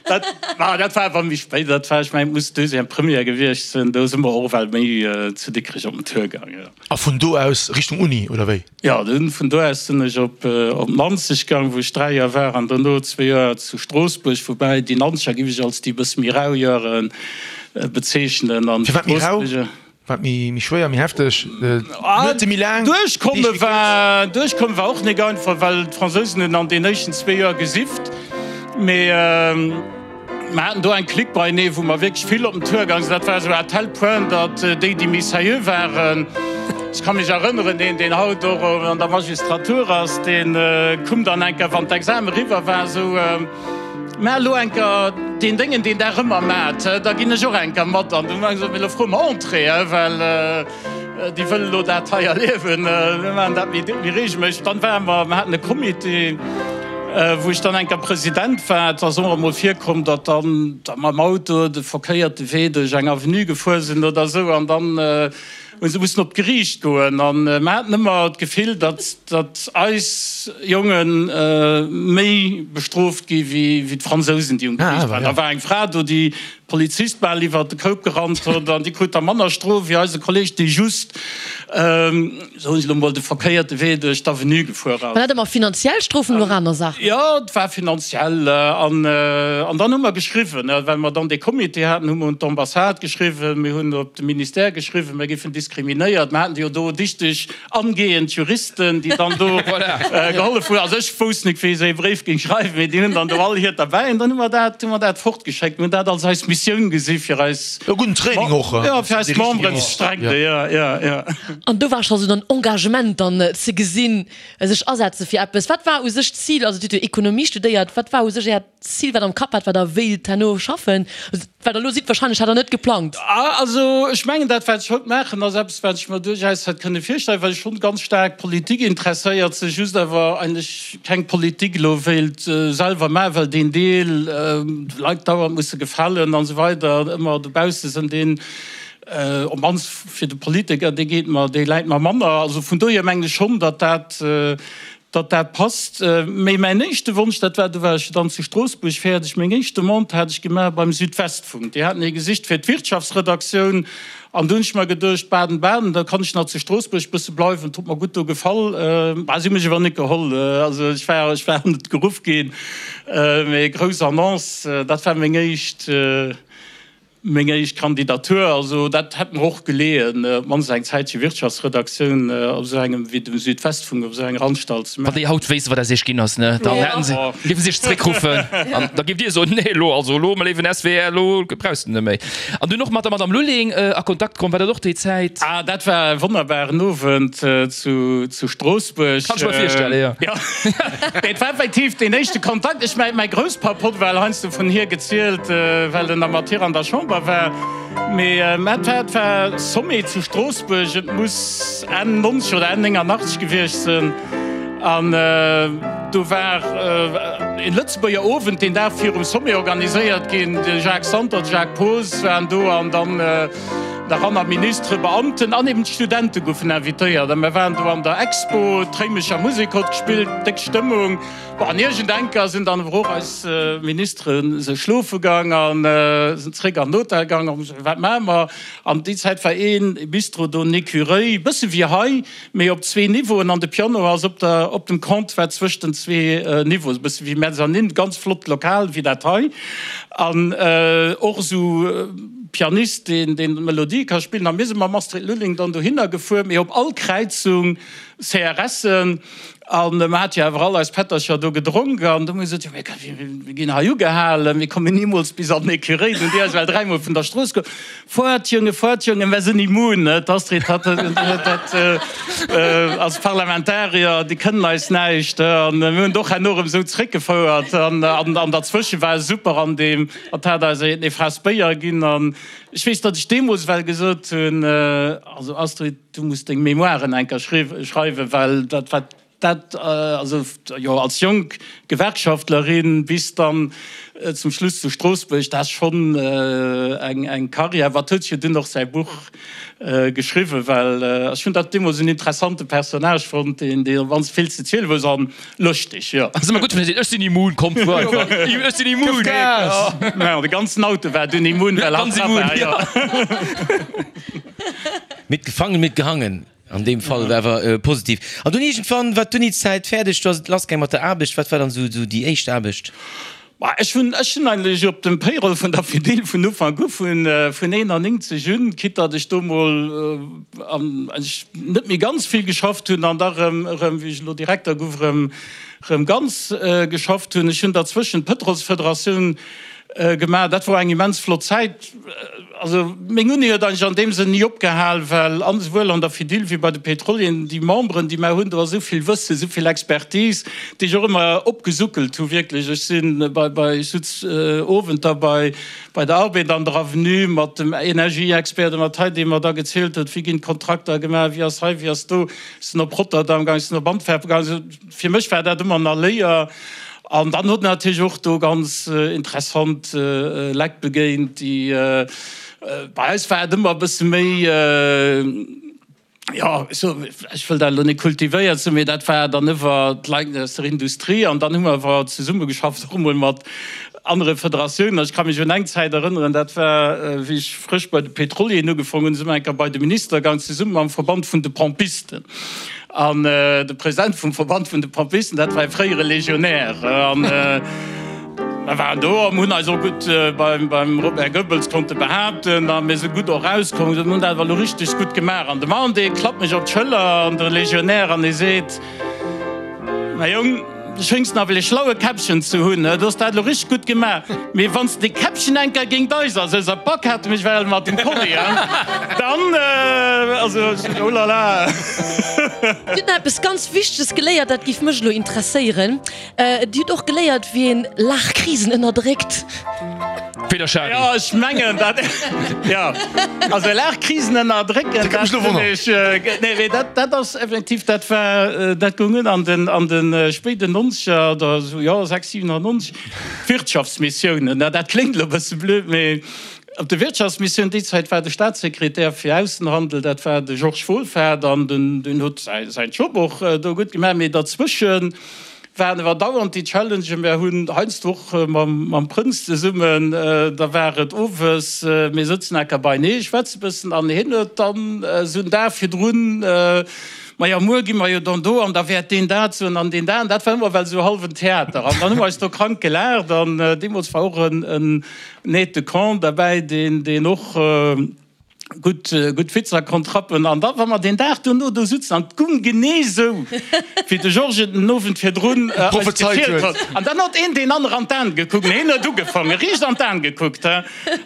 dat, ma dat war awer méi spéit, dat war, ech mengen, et muss Deuxième, Première gewiescht sinn, do si mer och ewell méi zu Dikrech op den Tour gaang, jo. A vun do aus Richtung Uni, oder wéi? Jo, dunn vun do aus sinn ech op op Nanzeg gaang, wou ech 3 Joer war, an dono zwee Joer zu Stroossbuerg, woubäi déi Nanzeger giff ech als déi e bësse méi rau Joere bezeechnen an Firwat méi rau? d'Stroossbuerger. Wat méi méi schwéier, méi hefteg, d'Nuete méi laang, Duerchkomme Deeg méi kuerz? war duerchkomme war och nik einfach, well d'Fransousen hunn an den éischten zwee Joer gesifft, mee Mer haten do eng Clique beienee, wou mer wierklech vill op den Tour gaang sinn. Dat war esou à tel point, datt déi, déi méi sérieux waren, ech ka mech erënneren, een, deen haut och an der Magistratur ass, dee koum dann eng Kéier, wann d'Exame eriwwer war, esou, Mä elo eng Kéier deen Déngen, deen Der ëmmer maacht, da ginn ech och eng Kéier mat. An du hu mer gesot, Mee elo froe mer Entrée, well déi wëlle elo dat hei erliewen. Mir maachen dat méi reegelméisseg. Dann ware mer, mer haten e Comité, wou ech dann eng Kéier President war. Et ass och emol virkomm, datt dann da mam Auto de verkéierte Wee duerch eng Avenue gefuer sinn oder esou an dann hu se mussen op d'Geriicht goen. An mer haten ëmmer d'Gefill, datt, datt eis Jonge méi bestrooft gi wéi d'Fransousen, déi um Geriicht waren. Da war eng Fra do, déi Polizist bal iwwert de Koup gerannt huet an déi krut da manner Strof wéi eise Kolleg, dee just, soen ech elo mol, de verkéierte Wee duerch d'Avenue gefuer ass. War dat ëmmer finanziell Strofen oder aner Saachen? Jo, et war finanziell. An, an dann hu mer geschriwwen, well mer dann dee Comité haten, hu mer un d'Ambassade geschriwwen, mir hunn op de Ministère geschriwwen, mir géifen diskriminéiert. Mer haten jo do dichteg Angehend Juristen, déi dann do gehollef hunn. Also ech wousst net, wéi esou ee Bréif géing schreiwen, mee déi hunn dann do all hiert derbäi an dann hu mer dat, hu mer dat fortgeschéckt. Mir hunn dat als eis Missioun gesi fir eis, E gudden Training och, jo, fir eis Memberen ze strecken. Jo, jo, jo. An do war scho sou den Engagement dann ze gesinn, sech asetze fir eppes. Wat war u sech d'Zil? Also Dir hutt jo Ekonomie studéiert. Wat war u sech Äert Zil, wat der am Kapp hat, wat der wéilt herno schaffen? Wat der elo sidd, wahrscheinlech hat der net geplangt. Also ech mengen, dat wat ech haut maachen, ass eppes wat ech mer duerchaus hätt kënne virstellen, well ech schonn ganz staark Politik interesséiert sinn, just awer eigentlech keng Politik elo wéilt selwer maachen, well deen Deel, de Leit dauernd musse gefalen an esou weider, ëmmer dobausse sinn, deen, op d'mannst fir de Politiker, dee geet mer, dee läit mer manner. Also vun dohier mengen ech schonn, datt dat, Datt dat passt. Mee mäin éischte Wonsch, dat war, do war ech dann zu Stroossbuerg fäerdeg, meng éischt Demande hat ech gemaach beim Südwestfunk. Déi haten ee gesicht fir d'Wirtschaftsredaktioun. An do hunn ech mer geduecht, Baden-Baden, da kann ech nach zu Stroossbuerg bësse bleiwen, et huet mer gutt do gefall. Bah, si hu mech awer net geholl. Also ech war, ech war net geruff ginn. Mee grouss Annonce, dat war meng éischt. Meng éischt Kandidatur, also dat hätt mer och geleeën, op d'mannst eng Zäitche Wirtschaftsredaktioun op esou engem wéi dem Südwestfunk, op esou enger Anstalt ze maachen. Wann déi haut wéissten, wat aus iech ginn ass, ne, dann hätten se, géifen se iech zréckruffen an da géift Dir soen, nee, elo, also elo, mä léiwen SWR, elo brauchs de net méi. An dunn och mat der Madame Lulling a Kontakt komm, war dat och déi Zäit? Ah, dat war e wonnerbaren Owend zu Stroossbuerg. Kann ech mer virstellen, jo. Jo, et war effektiv deen éischte Kontakt. Ech mäi Grousspapp hott well heiansdo vun hir gezielt, well en da mat hir an der Chamber war. Mee et war, et war Sommet zu Stroossbuerg, et muss Enn 90 oder Enn 89 gewiescht sinn. An do war e Lëtzebuerger Owend deen Dag virum Sommet organiséiert ginn. De Jacques Santer, de Jacques Poos waren do an dann nach aner Ministere, Beamten an eben d'Studente goufen invitéiert. A mir waren do an der Expo, d'Réimecher Musek hott gespillt, déck Stëmmung. Bon, an iergendenker sinn dann awer och eis Ministere se schlofe gang an sinn zréck an den Hotel gang. An wat maache mer? An déi Zäit war ee Bistro do, en Ecureuil, bësse wéi hei, mee op zwee Niveauen. An de Piano ass op der, op dem Comptoir zwëscht den zwee Niveauen, e bësse wéi Mezzanine, ganz flott Lokal wéi dat hei. An och esou Pianist, deen, deen d'Melodie ka spillen. A mir si mam Astrid Lulling dann dohinner gefuer, mee op all Kräizung CRSen. An mer hate jo awer all eis Pättercher do gedronk an du hu mir gesot, jo mir ginn hei ugehalen, mir kommen nimools bis an den Ecureuil. Dunn déi eis well dräimol vun der Strooss geholl, Fuert Jongen, fuert Jongen, mer sinn immun. D'Astrid hat dat als Parlamentarier, déi kënnen eis näischt. An mir hunn et och herno erëm esou zréckgefouert. An an derzwësche war super an deem, hatt hat eis ee Faass Béier ginn. An ech weess, datt ech deemools well gesot hunn, also Astrid, Du muss deng Mémoiren eng Kéier schreiwen, well dat wat. Dat, also jo, als jonk Gewerkschaftlerin bis dann zum Schluss zu Stroossbuerg, dat ass schonn eng Karriär. Wat huet jo dunn och säi Buch geschriwwen, well ech hunn dat deemools en interessante Personnage fonnt, deen dee ganz vill ze ziele wousst an lëschteg, jo. Ass ëmmer gutt, wann ee seet, ech sinn immun, kommt fuer einfach, ech sinn immun. Gëff Gas! Jo, de ganzen Auto war dunn immun, well hatt dra war, jo. Mitgefangen, mitgehangen. An deem Fall awer positiv. An dunn iergendwann war d'Unizäit fäerdeg, du ass et lassgaang mat der Aarbecht. Wat war dann esou déi éischt Aarbecht? Ma ech hunn, ech hunn eigentlech op dem Payroll vun der Fedil vun Ufank u, vun 91 un, quitte datt ech do mol eigentlech net méi ganz vill geschafft hunn an da erëm, erëm wéi ech elo Direkter gouf, erëm, erëm ganz geschafft hunn. Ech hunn derzwëschen d'Pëtrolsfederatioun gemaach. Dat wor eng immens flott Zäit. Also meng Uni huet eigentlech an deem Sënn ni opgehal, well an esouwuel an der Fedil wéi bei de Pétrolieren déi Memberen, déi mer hunn, do ass esou vill Wëssen, esou vill Expertise, déi ech och ëmmer opgesuckelt hu wierklech. Ech si bei, bei, ech sutz Owenter bei, bei der Arbed an der Avenue mat dem Energieexpert oder mat hei, dee mer da gezielt huet, wéi ginn d'Kontrakter gemaach, wéi ass hei, wéi ass do. Ech sinn op Rotterdam gaang, ech sinn op Antwerpen gaang. Also fir mech war dat ëmmer nach Léier. An dann huet en natierlech och do ganz interessant Leit begéint, déi, bei eis war et ëmmer e bësse méi, jo, ech wëll dat elo net kultivéiert soen, mee dat war dann ëwer d'Leit aus der Industrie. An dann hu mer awer zesummegeschafft och emol mat anere Federatiounen. Ech ka mech un eng Zäit erënneren, dat war, wéi ech frësch bei de Pétrolieren ugefongen hunn, si mer eng Kéier bei de Minister gaang, zesumme mam Verband vun de Pompisten. An de President vum Verband vun de Pompisten, dat war e fréiere Legionär. An mer waren do a mir hunn eis och gutt beim Robert Goebbels konnte behaapten a mir si gutt och erauskomm. Mir hunn dat awer elo richteg gutt gemaach. An de Mann, dee klappt mech op d'Schëller, an de Legionär, an e seet, Mäi Jong, du schéngs nawell e schlaue Käppchen ze hunn, du hues dat elo richteg gutt gemaach, mee wann s de dee Käppchen eng Kéier géint eis ass, eis Bak hate mech well mat dem Kolli, dann, also, oh la la. Dir hutt nach eppes ganz Wichteges geléiert, dat géif mech elo interesséieren. Dir hutt och geléiert, wéi een Laachkrisen ënnerdréckt. Peter Schary. Jo, ech mengen dat, jo, also Laachkrisen ënnerdrécken, dat hunn ech, nee, mee dat, dat ass effektiv, dat war, dat goung un an den, an de spéiden Nonzeger oder esou, jo, 6, 97, Wirtschaftsmissiounen, dat kléngt elo e bësse blöd, mee op de Wirtschaftsmissioun, déi Zäit war de Staatssekretär fir Aussenhandel, dat war de Georges Wohlfahrt an den, deen huet säi, säin Job och do gutt gemaach, mee derzwëschen, Waren awer dauernd déi Challengen. Mär hunn heiansdo och mam Prënz zesummen, da war et owes, mir sëtzen enker beinee, schwätze bëssen an hien huet dann esou en Dag virdrun, Majo, muer gi mer jo dann do an da wäert deen dat soen an deen dat. An dat war ëmmer well esou hallwen Theater an dann hu mer eis do krank gelaacht an deemools war och en Aide de camp derbäi, deen och, Gutt, gutt Witzer konnt rappen. An da wa mer deen Dag duerno do sutzen, an 't gung genee sou, wéi de Georges et den Owend virdrun eis gezielt huet. An dann huet een deen anere an d'Aen gekuckt. Hien huet ugefangen, riicht an d'Aen gekuckt, he.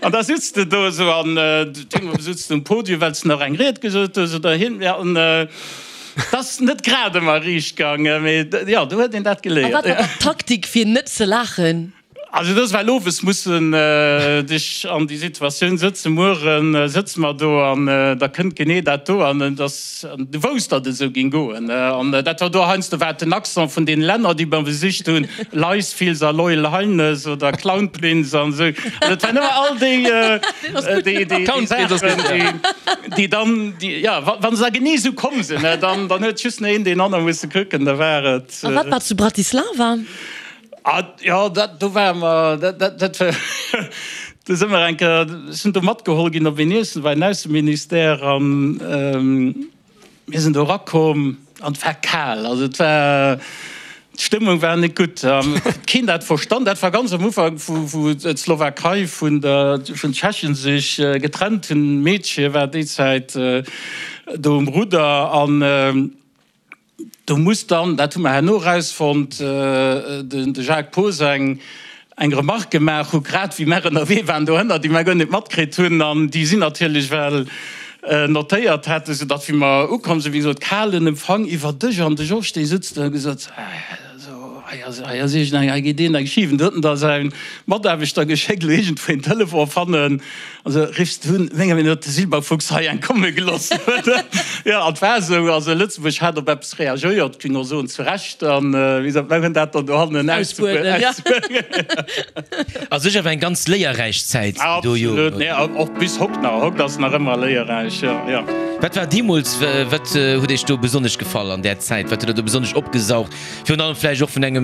An da sutz de do esou an deemools sutz de um Podium, well s de nach eng Ried gesot hues oder hien, ja, an 't ass net grad ëmmer riicht gaangen, mee jo, do huet een dat A geléiert. wat war dann d'Taktik, fir net ze laachen? Also et ass well owes mussen dech an déi Situatioun sëtzen, muere sëtze mer do an da kënnt genee dat do an et ass, an du wousst, datt et esou géing goen. An dat war do heiansdo war et den Accent vun deene Länner, déi mer besicht hunn, Leisfils a Loyal Highness oder Clownprinz an esou. Also et waren ëmmer all déi, déi, déi Saachen, déi, déi dann, déi, jo, wa se da genee esou komm sinn, dann, dann huet just nach een deen anere musse kucken, da war et. A wat war zu Bratislava? Ah jo, dat do ware mer, dat dat dat war, do si mer eng Kéier, ech sinn do matgeholl ginn op een Iessen bei den Ausseministère an mir sinn do erakomm an et war kal, also et war, d'Stëmmung war net gutt an et huet keen dat verstan. Dat war ganz am Ufank wou wou d'Slowakei vun der vun Tschechien sech getrennt hunn, Meedche war déi Zäit do um Rudder an. Do muss dann, dat hu mer herno erausfonnt, de Jacques Poos eng Remarque gemaach hu grad wéi mer ënnerwee waren dohënner, déi mer guer net matkritt hunn an déi si natierlech well notéiert haten, soudatt wéi mer ukomm sinn, wéi gesot, kalen Empfang iwwer Dësch an de Georges dee sutzt do a gesot, also. Hei ass, hei ass iergend eng, hei geet een eng schif. An du huet en da säi Mataarbechter geschéckt, elo iergendwou een Telefon fannen. Also riffs du un, menger Meenung no huet de Silberfuchs hei eng komme geloss. Jo, an et war esou, also Lëtzebuerg hat op eppes reagéiert, géing och soen zu Recht, an wéi gesot, mer hunn dat dann dohannen Ausbueden, ja. A sech awer eng ganz léierräich Zäit déi do Joren, Absolut, nee, och bis hokt nach, hokt ass nach ëmmer léierräich, jo, jo. Wat war deemools, wat huet Iech do besonnesch gefall an där Zäit? Wat huet Der do besonnesch opgesaugt? Virun allem vläicht och vun engem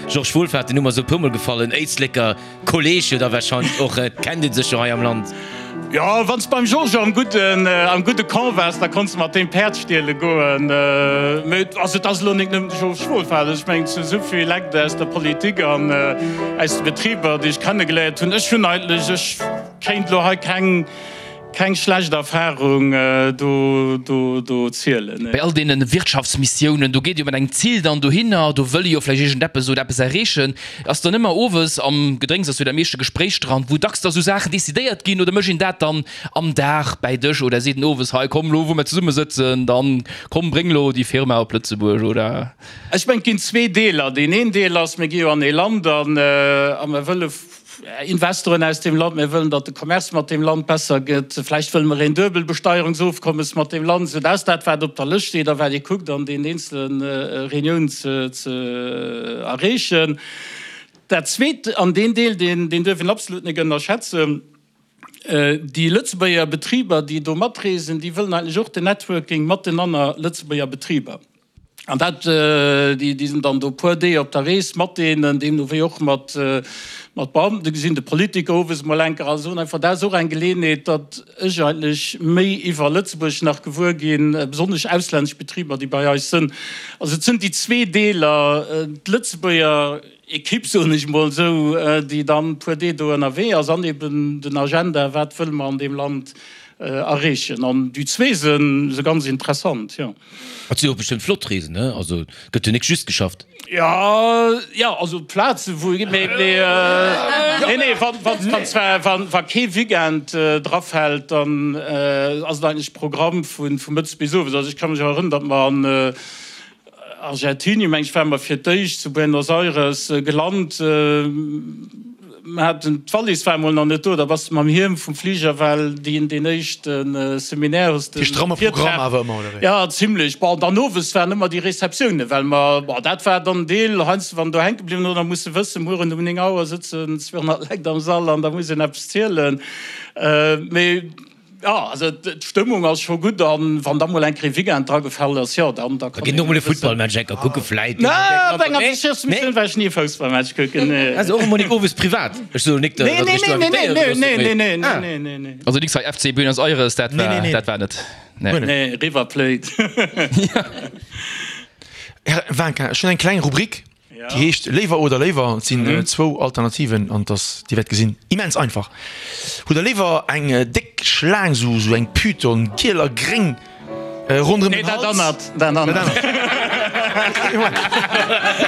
Georges Wohlfahrt, den Numm ass esou e puermol gefallen, Éisleker Kolleg jo da wahrscheinlech och, et kennt ee sech jo hei am Land. Jo, wann s beim Georges am gudden, am gudde Camp waars, da konns de mat deem Päerd stiele goen. Mee also et ass elo nik nëmmen de Georges Wohlfahrt, ech mengen et sinn esou vill Lekt aus der Politik an aus de Betriber, déi ech kennegeléiert hunn. Ech hunn eigentlech, ech kéint elo hei keng, Keng schlecht Erfahrung do zielen. Bei all deene Wirtschaftsmissiounen, do geet jo mat engem Ziel dann dohinner, do wëll ee jo vläicht iergendeppes oder eppes erreechen. Ass dann ëmmer owes am Gedrénks ass jo dat meeschte Gespréich dran, wou dacks da sou Saachen decidéiert ginn oder mécht een dat dann am Dag bäi Dësch oder seet een owes, hei komm lo wou mer zesummesëtzen, dann komm bréng lo déi Firma op Lëtzebuerg oder? Ech mengen et ginn zwee Deeler. Deen een Deel ass, mir gi jo an ee Land an a mer wëlle Investoren aus deem Land, mir wëllen, datt de Commerce mat deem Land besser gëtt, vläicht wëlle mer een Duebelbesteierungsofkommes mat deem Land, esou dat ass dat, wat op der Lëscht steet a wat ee kuckt an deenen eenzele Reuniounen ze erreechen. Dat Zweet, an deen Deel, deen duerf een absolut net ënnerschätzen, Déi Lëtzebuerger Betriber, déi do matreesen, déi wëllen eigentlech och den Networking mat den anner Lëtzebuerger Betriber. An dat, déi sinn dann do puer Deeg op der Rees mat deenen, deemno wéi och mat mat Beamten gesinn, de Politiker owes emol enker a soen einfach, dat ass och eng Geleeënheet, datt ech eigentlech méi iwwer Lëtzebuerg nach gewuer ginn, besonnesch auslännesch Betriber, déi bei eis sënn. Also et sënn déi zwee Deeler, d'Lëtzebuerger Equipe, soen ech emol esou, déi dann e puer Deeg do ënnerwee ass an eben den Agenda, wat wëlle mer an deem Land erreechen. An déi zwee se ganz interessant, jo. Et si jo och bestëmmt flott Reesen, ne? Also et gëtt jo nik just geschafft. Jo, jo, also Plaze wou ee, mee, mee, nee, nee, wann, wann, wann zwar, wann, wa kee Weekend drafält, dann ass et eigentlech Programm vu, vu mëttes bis owes. Also ech ka mech erënneren, datt mer an Argentinien, meng ech, ware mer fir d'éischt zu Buenos Aires gelant. Mer haten, d'Wallis war emol nach net do, da bass de mam Hiem vum Fliger, well deen, deen éischte Seminaire hues de. Dee stramme Programm awer ëmmer, oder wéi? Ja, zimlech. Bon, dann owes waren ëmmer déi Receptiounen, well mer, bon, dat war dann Deel, heiansdo wann do hänke bliwwen oder musse wëssen, mueren um 9 Auer sëtzen 200 Leit am Sall an da muss een eppes zielen. Mee. Jo, also d'Stëmmung ass scho gutt an wann da mol eng Kéier e Weekend dra gefall ass, jo dann da kann een. Da ginn och mol e Futtballmatch enker kucke vläit. Nee, op enger Wirtschaftsmissioun war ech ni e Foussballmatch kucken, nee. Also och emol nik owes privat? Ech soen nik, datt ech do invitéiert oder sou, mee. Nee, nee, nee, nee, nee. Also nix hei FC Buenos Aires, dat war, dat war net, nee. Nee, River Plate. Här Wanka, ech hunn eng kleng Rubrik. Déi heescht Léiwer oder léiwer. Et sinn zwou Alternativen an et ass, Dir wäert gesinn, immens einfach. Hutt Der léiwer eng déck Schlaang, sou sou eng Python, giel a gréng, ronderëm den Hals? Nee, dat anert, dat anert.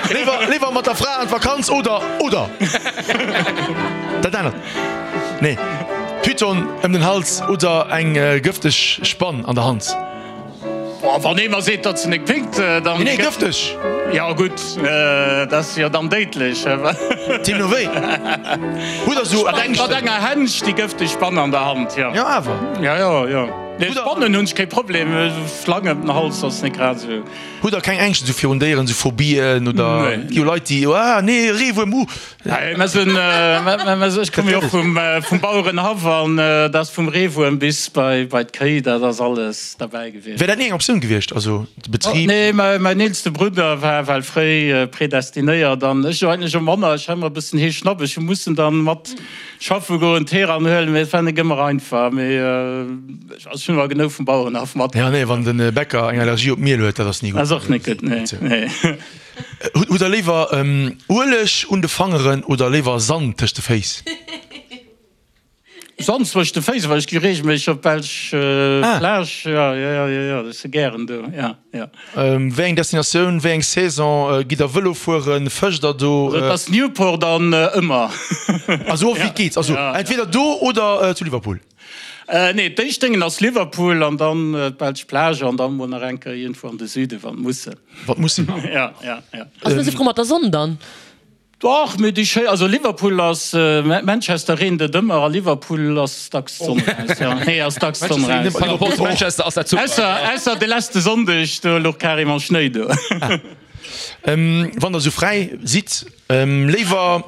Léiwer, léiwer mat der Fra an d'Vakanz oder, oder dat anert? Nee, Python ëm den Hals oder eng gëfteg Spann an der Hand? Boah, wann ee mer seet, datt se nek pinkt, dann. Nee, gëfteg! Jo, gutt, dat ass jo dann déidlech. Deemno wéi. Hutt der sou Ängschten? Mat enger Hänsch déi gëfteg Spann an der Hand, jo. Jo, awer. Jo, jo, jo. Nee, Spannen hunn ech kee Problem, Schlang ëm den Hals ass nek grad esou. Hutt der keng Ängschten sou virun Déieren, sou Phobien oder? Nee. Gi jo Leit, déi, ah nee, Reewuerm, uh. Nee, mer sinn, ech komme jo och vum Bauerenhaff an dat ass vum Reewuerm bis bei d'Kéi, dat ass alles derbäi gewiescht. Wär dat ni eng Optioun gewiescht, also de Betrib? Nee, mäin eelste Brudder war well fréi predestinéiert an ech jo eigentlech och manner. Ech hat ëmmer e bëssen Heeschnapp, ech hu mussen dann mat schaffe goen, d'Heeran huelen, mee et war net ëmmer einfach. Mee ech hunn awer genou vum Bauerenhaff mat. Jo, nee, wann de Bäcker eng Allergie op Miel huet, dat ass ni gutt. Dat ass och net gutt, nee. Hutt der léiwer Ueleg un de Fangeren oder léiwer Sand tëscht de Féiss? Sand zwëscht de Féiss, well ech gi reegelméisseg op d'belsch Plage. Jo, jo, jo, jo, ech si gären do, jo, jo. Wéi eng Destinatioun, wéi eng Saison gitt der Vëlo fueren? Fëscht der do? Also et ass Newport an ëmmer. Also och wéi et geet, also entweder do oder zu Liverpool? Nee, d'éischt Déngen ass Liverpool an dann d'belsch Plage an dann mol nach eng Kéier iergendwou an de Süden, wann et muss sinn. Wann et muss sinn. Ja, ja, ja. Ass net esou frou mat der Sonn dann? Dach, mee déi schéi, also Liverpool ass, Manchester reent et ëmmer a Liverpool ass dacks d'Sonn raus, jo, nee ass dacks d'Sonn raus. Par rapport zu Manchester ass dat super. Ausser, ausser de leschte Sonndeg, do louch carrément Schnéi do. Wann der esou fräi sidd, léiwer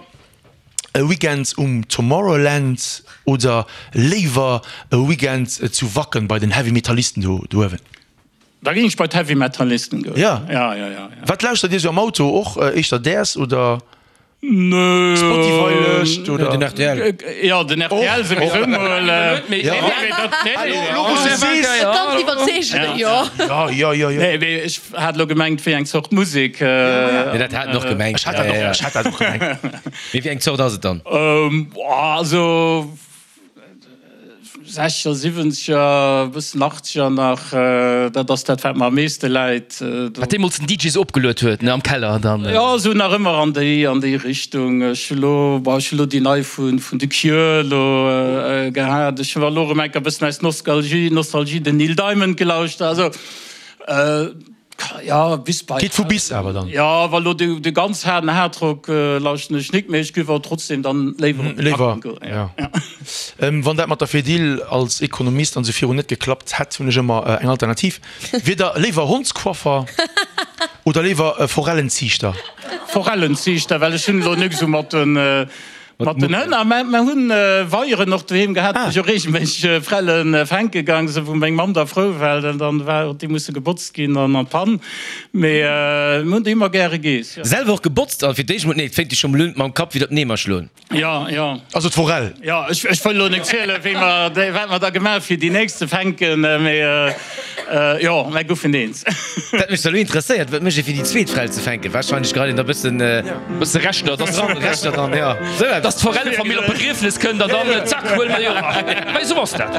e Weekend um Tomorrowland oder léiwer e Weekend zu Wacken bei den Heavy Metallisten do uewen? Da géing ech bei d'Heavy Metallisten goen. Ja? Ja, ja, ja, ja. Wat lauschtert Dir sou am Auto? Och éischter däers oder Nö. Spotify-Lëscht oder? Den rtl. Ja, den rtl souwisou mol. Nee, nee, dat, nee, nee. Elo wou s de sees. Ganz iwwerzeegend, jo. Ja, ja, ja, ja. Nee, mee ech hat elo gemengt, wéi eng Zort Musek. Nee, dat hat en och gemengt. Ech hat dat och, ech hat dat och gemengt. Mee wéi eng Zort ass et dann? Also. Sechzeger, siwwenzeger, e bëssen achtzeger nach, dat ass dat wat mer am meeschte läit. Wat deemools den DJ sou opgeluet huet, ne, am Keller dann. Jo, esou nach ëmmer an déi, an déi Richtung. Ech hu lo, bon, ech hu lo déi nei vun, vun The Cure elo gehat. Ech hu elo erëm eng Kéier e bëssen aus Nostalgie, Nostalgie den Neil Diamond gelauschtert. Also. Ja, bis bei. Geet vu bis awer dann. Ja, wa lo de, de ganz haarden Hardrock lauschten ech nik, mee ech giff awer trotzdem dann léiwer op de Léiwer, Wacken goen. ja. Wann dat mat der Fedil als Ekonomist an sou virun net geklappt hätt, hunn ech ëmmer eng Alternativ. Wier der léiwer Hondscoiffer oder léiwer Forellenziichter? Forellenziichter, well ech hunn elo nik sou mat den. Mat den Hënn. A mer hunn Weieren och doheem gehat, wou ech och reegelméisseg Frelle fänke gaang sinn, wou meng Mamm da frou war, well dann war déi musse gebotzt ginn an an d'Pann. Mee mir hunn déi ëmmer gäre geess, jo. Selwer och gebotzt? An fir d'éischt mol, nee, et féngt jo scho mol un mam Kapp widder d'Neemer schloen. Jo, jo. Also d'Forell. Jo, ech wëll elo net zielen, wéi mer, wat mer da gemaach hu fir déi nächst ze fänken, mee jo, mer goufen eens. Dat mech da lo interesséiert, wat mécht ee fir déi zweet Frell ze fänken? Wahrscheinlech geheit een da bëssen. Bësse Reschter, dass dran, Reschter dran, jo. Sou eppes. Dass d'Forellefamill op Begriefnes kënnt an dann zack, huele mer déi och. Mä esou ass dat.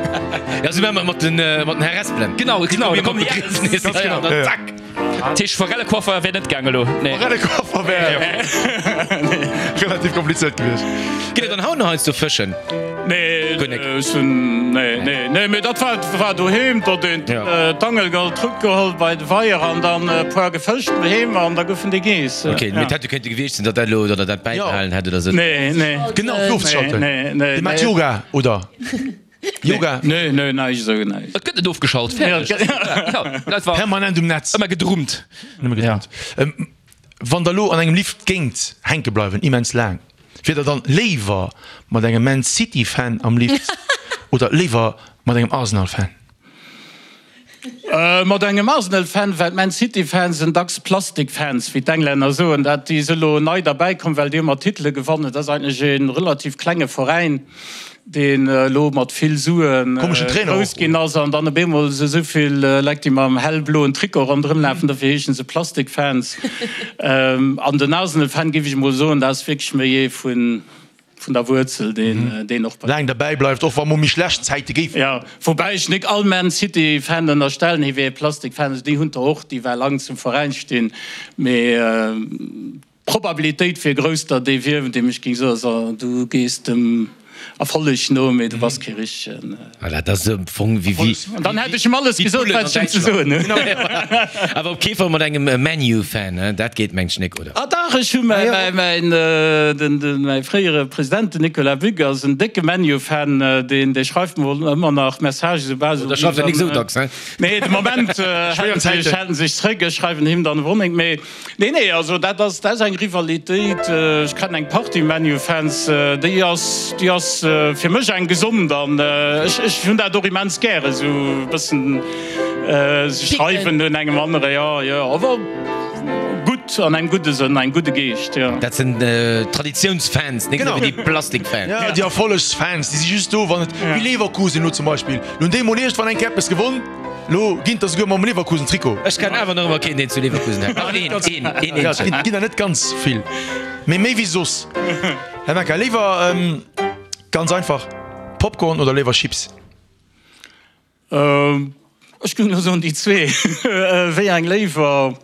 Ja, sou maache mer et mat den, mat den Harespelen. Genau, genau, da kommen déi Begriefnes, Ganz genau. an dann zack. Dat heescht, Forellecoiffer wär net gaang elo, nee. Forellecoiffer wär relativ komplizéiert gewiescht. Gitt Der dann haut nach heiansdo fëschen? Nee, Guer nik. ech hunn, nee, nee, nee, mee dat war, war doheem, do huet een d'Angel geholl, d'Rutt geholl bei de Weier an dann e puer gefëscht doheem an da goufen déi geess. Ok, mee et hätt jo kéinte gewiescht sinn, datt dat elo, datt Der dat bäibehalen hätt oder sou. Nee, nee. Genau, fir ofzeschalten. Nee, nee, Dir maacht nee. Yoga, oder? Yoga? Nee, nee, näischt esou, näischt. Et gëtt net ofgeschalt, fäerdeg. Ja, dat war Permanent um Netz. ëmmer gedrummt. Nëmme gedrummt. Wann Der elo an engem Lift géingt hänke bleiwen, immens laang, wier Der dann léiwer mat engem Man City Fan am Lift oder léiwer mat engem Arsenal Fan? Mat engem Arsenal Fan, well d'Man City Fans sinn dacks Plastik Fans, wéi d'Englänner soen. Dat déi si elo nei derbäi komm, well déi ëmmer Titele gewannen. Dat ass eigentlech e relativ klenge Veräin, deen elo mat vill Sue grouss ginn ass an dann op eemol esou vill Leit, déi mam hellbloen Trikot ronderëm lafen, dofir heeschen se Plastik Fans. An den Arsenal Fan, géif ech emol soen, dat ass wierklech méi ee vun vun der Wuerzel, deen deen och bei. Laang derbäi bleift, och wa mol méi schlecht Zäite géifen. Jo, woubäi ech nik all Man City Fan ënnerstellen, hie wier ee Plastik Fan, also déi hunn der och, déi well lang zum Veräin stinn, mee d'Probabilitéit wier grouss, datt ee wier, deem ech géing soen, so du gees dem Erfolleg no, mee du bass kee richtegen. Voilà, dat ass am Fong wéi wéi. An dann hätt ech em alles gesot, wat ech em ze soen hunn. Awer op kee Fall mat engem ManU-Fan, hein? Dat geet mengt ech nik, oder? Ah dach, ech hu mäi mäin den den mäi fréiere President, den Nicolas Buck, ass en décke ManU-Fan, deen dee schreift mer ëmmer nach Messagen, soubal se. Da schreift er nik esou dacks, hein? Nee, de Moment hält en sech hält en sech zréck, ech schreiwen him dann och nik méi. Nee, nee, also dat ass, dat ass eng Rivalitéit. Ech kennen eng Partie ManU-Fans, déi ass, déi ass fir mech eng gesond an ech, ech hunn dat och immens gär, esou e bëssen sech reiwen un engem anere, jo, jo, awer gutt, an engem gudde Sënn, engem gudde Geescht, jo. Dat sinn Traditiounsfans, net esou wéi déi Plastikfans. Jo, déi Erfollegsfans, déi si just do, wann et, wéi Leverkusen elo zum Beispill, lo hunn déi emol iergendwann eng Kéier eppes gewonn. Lo ginn der souguer mam Leverkusen Trikot. Ech kennen awer nach ëmmer keen deen zu Leverkusen hält. Dach een, een, een eenzegen. Et ginn der net ganz vill, mee méi wéi soss. Här Mecca, léiwer ganz einfach Popcorn oder léiwer Chips? Ech géing elo soen déi zwee. Wéi eng léiwer?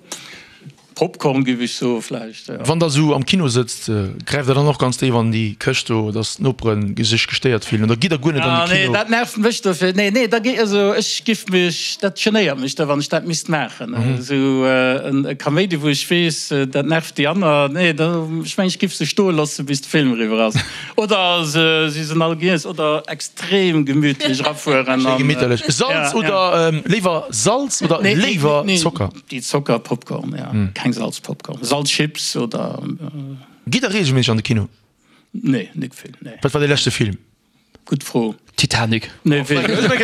Popcorn giff ech soe vläicht, jo. Wann der esou am Kino sëtzt, gräift der dann och ganz déif an déi Këscht do, dass d'Nopere sech gestéiert fillen oder gitt der guer net an de Kino? Ah nee, dat nervt mech dofir. Nee, nee, da gi, also ech giff mech, dat genéiert mech da wann ech dat misst maachen. Esou e Kaméidi wou ech weess, dat nervt déi aner. Nee, da, ech mengen ech giff se stoe loosse bis de Film eriwwer ass. Oder se si sen all giess oder extrem gemütlech erafueren. Schéi gemitterlech. Salz oder léiwer Salz oder léiwer Zocker? Déi Zocker Popcorn, ja. Keng Salz Popcorn. Salz Chips oder. Gitt der regelméisseg an de Kino? Nee, nik vill, nee. Wat war dee leschte Film? Gutt Fro. Titanic. Nee, weess ech net.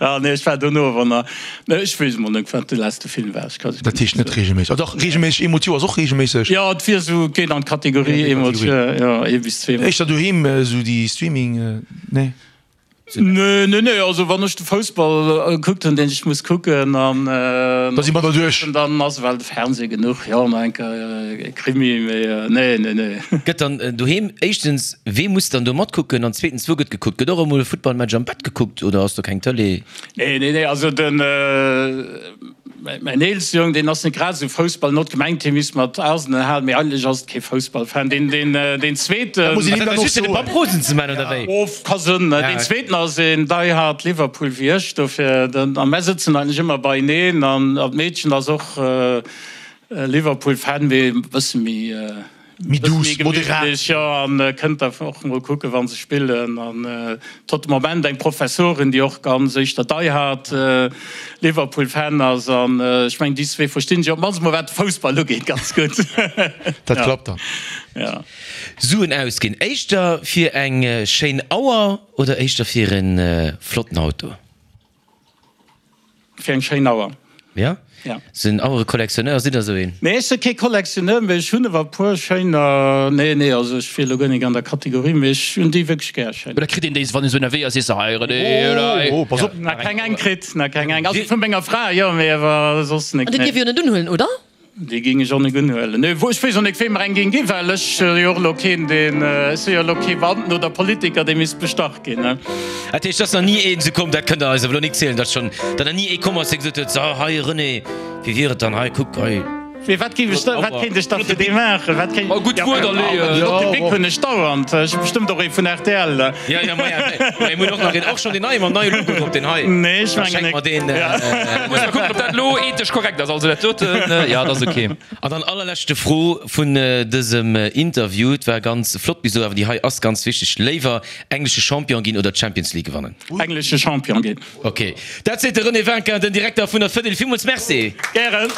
Ah nee, ech war dono awer nach. Nee, ech weess emol net, wat de leschte Film war. Ech ka. Dat heescht net regelméisseg. Ah dach, regelméisseg, eemol d'Joer ass och regelméisseg. Jo, et wier esou, geet an d'Kategorie eemol d'Joer, jo, ee bis zweemol. Éischter doheem, esou déi Streaming, nee? Nee, nee, nee, also wann ech de Foussball gekuckt hunn, deen ech muss kucken, an Da si mer der duerch. Dann ass ewell de Fernseh genuch, jo, nach eng Kéier e Krimi, mee nee, nee, nee. Gëtt dann doheem, éischtens, wee muss dann do matkucken an zweetens, wou gëtt gekuckt? Gëtt och emol e Futtballmatch am Bett gekuckt oder ass do keng Tëlee? Nee, nee, nee, also den. Mäin eelste Jong, deen ass net grad esou Foussball not gemengt, hie misst mat Arsenal halen, mee eigentlech ass et kee Foussballfan. Deen, deen, deen zweeten. Muss een him dann och soen. De Papp rosen ze man, oder wéi? Of, ka sënn. Deen zweeten ass een die hard Liverpool wéi ech, dofir, a mär sëtzen eigentlech ëmmer beieneen an d'Meedchen ass och Liverpool-Fan, mee e bësse méi. Méi douce, moderat. Jo, an kënnt der och mol kucken, wa se spillen. An et huet de Moment eng Professorin, déi och ganz éischter die hard Liverpool-Fan ass. An ech mengen, déi zwee verstinn sech op d'mannst mol, wat de Foussball ugeet, ganz gutt. Dat klappt dann. Jo. Suen ausginn, éischter fir eng schéin Auer oder éischter fir e flotten Auto? Fir eng schéin Auer. Ja? Ja. Sinn Auere-Collectionneur, sidd der esou een? Nee, ech si kee Collectionneur, mee ech hunn ewer e puer schéiner. Nee, nee, also ech wier elo guer nik an der Kategorie, mee ech hunn déi wierklech gär, schéin. Oder kritt een déi, wann een esou ënnerwee ass, sees de, hei René, oder hei. Oh, pass op! Nach keng eng kritt, nach keng eng. Also vu menger Fra, jo, mee ewer soss nik, An déi nee. dierf jo net unhuelen, oder? Déi géing ech och nik unhuelen. Nee, ech weess och nik, wee mer eng géing ginn, well ech si jo och elo keen, deen, ech si jo elo kee Beamten oder Politiker, dee misst bestach ginn, ne. Dat heescht, et ass nach ni een esou komm, dat kënnt Der eis awer elo nik zielen, datt schonn, datt nach ni ee komm ass, dee gesot huet, So, hei René, wéi wier et dann, hei kuck, hei. Mee wat géif ech da, wat kéint ech da fir dee maachen? Wat kéint, Oh, gutt Wuert aleeën. Flotte Bic hunn ech dauernd. Ech hu bestëmmt och ee vun rtl. Jo, jo, maja, mä mir hunn och nach een, och schonn deen neie mam neie Logo drop, deen hei. Nee, ech Da mengen schenke nik. mer deen. Muss mer kucken, ob dat elo ethesch korrekt ass. Also dat doten, jo, dat ass ok. An dann allerleschte Fro vun dësem Interview, et war ganz flott bis elo, awer déi hei ass ganz wichteg, Léiwer englesche Champion ginn oder d'Champions League gewannen? Englesche Champion ginn. Ok, dat seet de René Winkin, den Direkter vun der Fedil. Villmools Merci. Gären.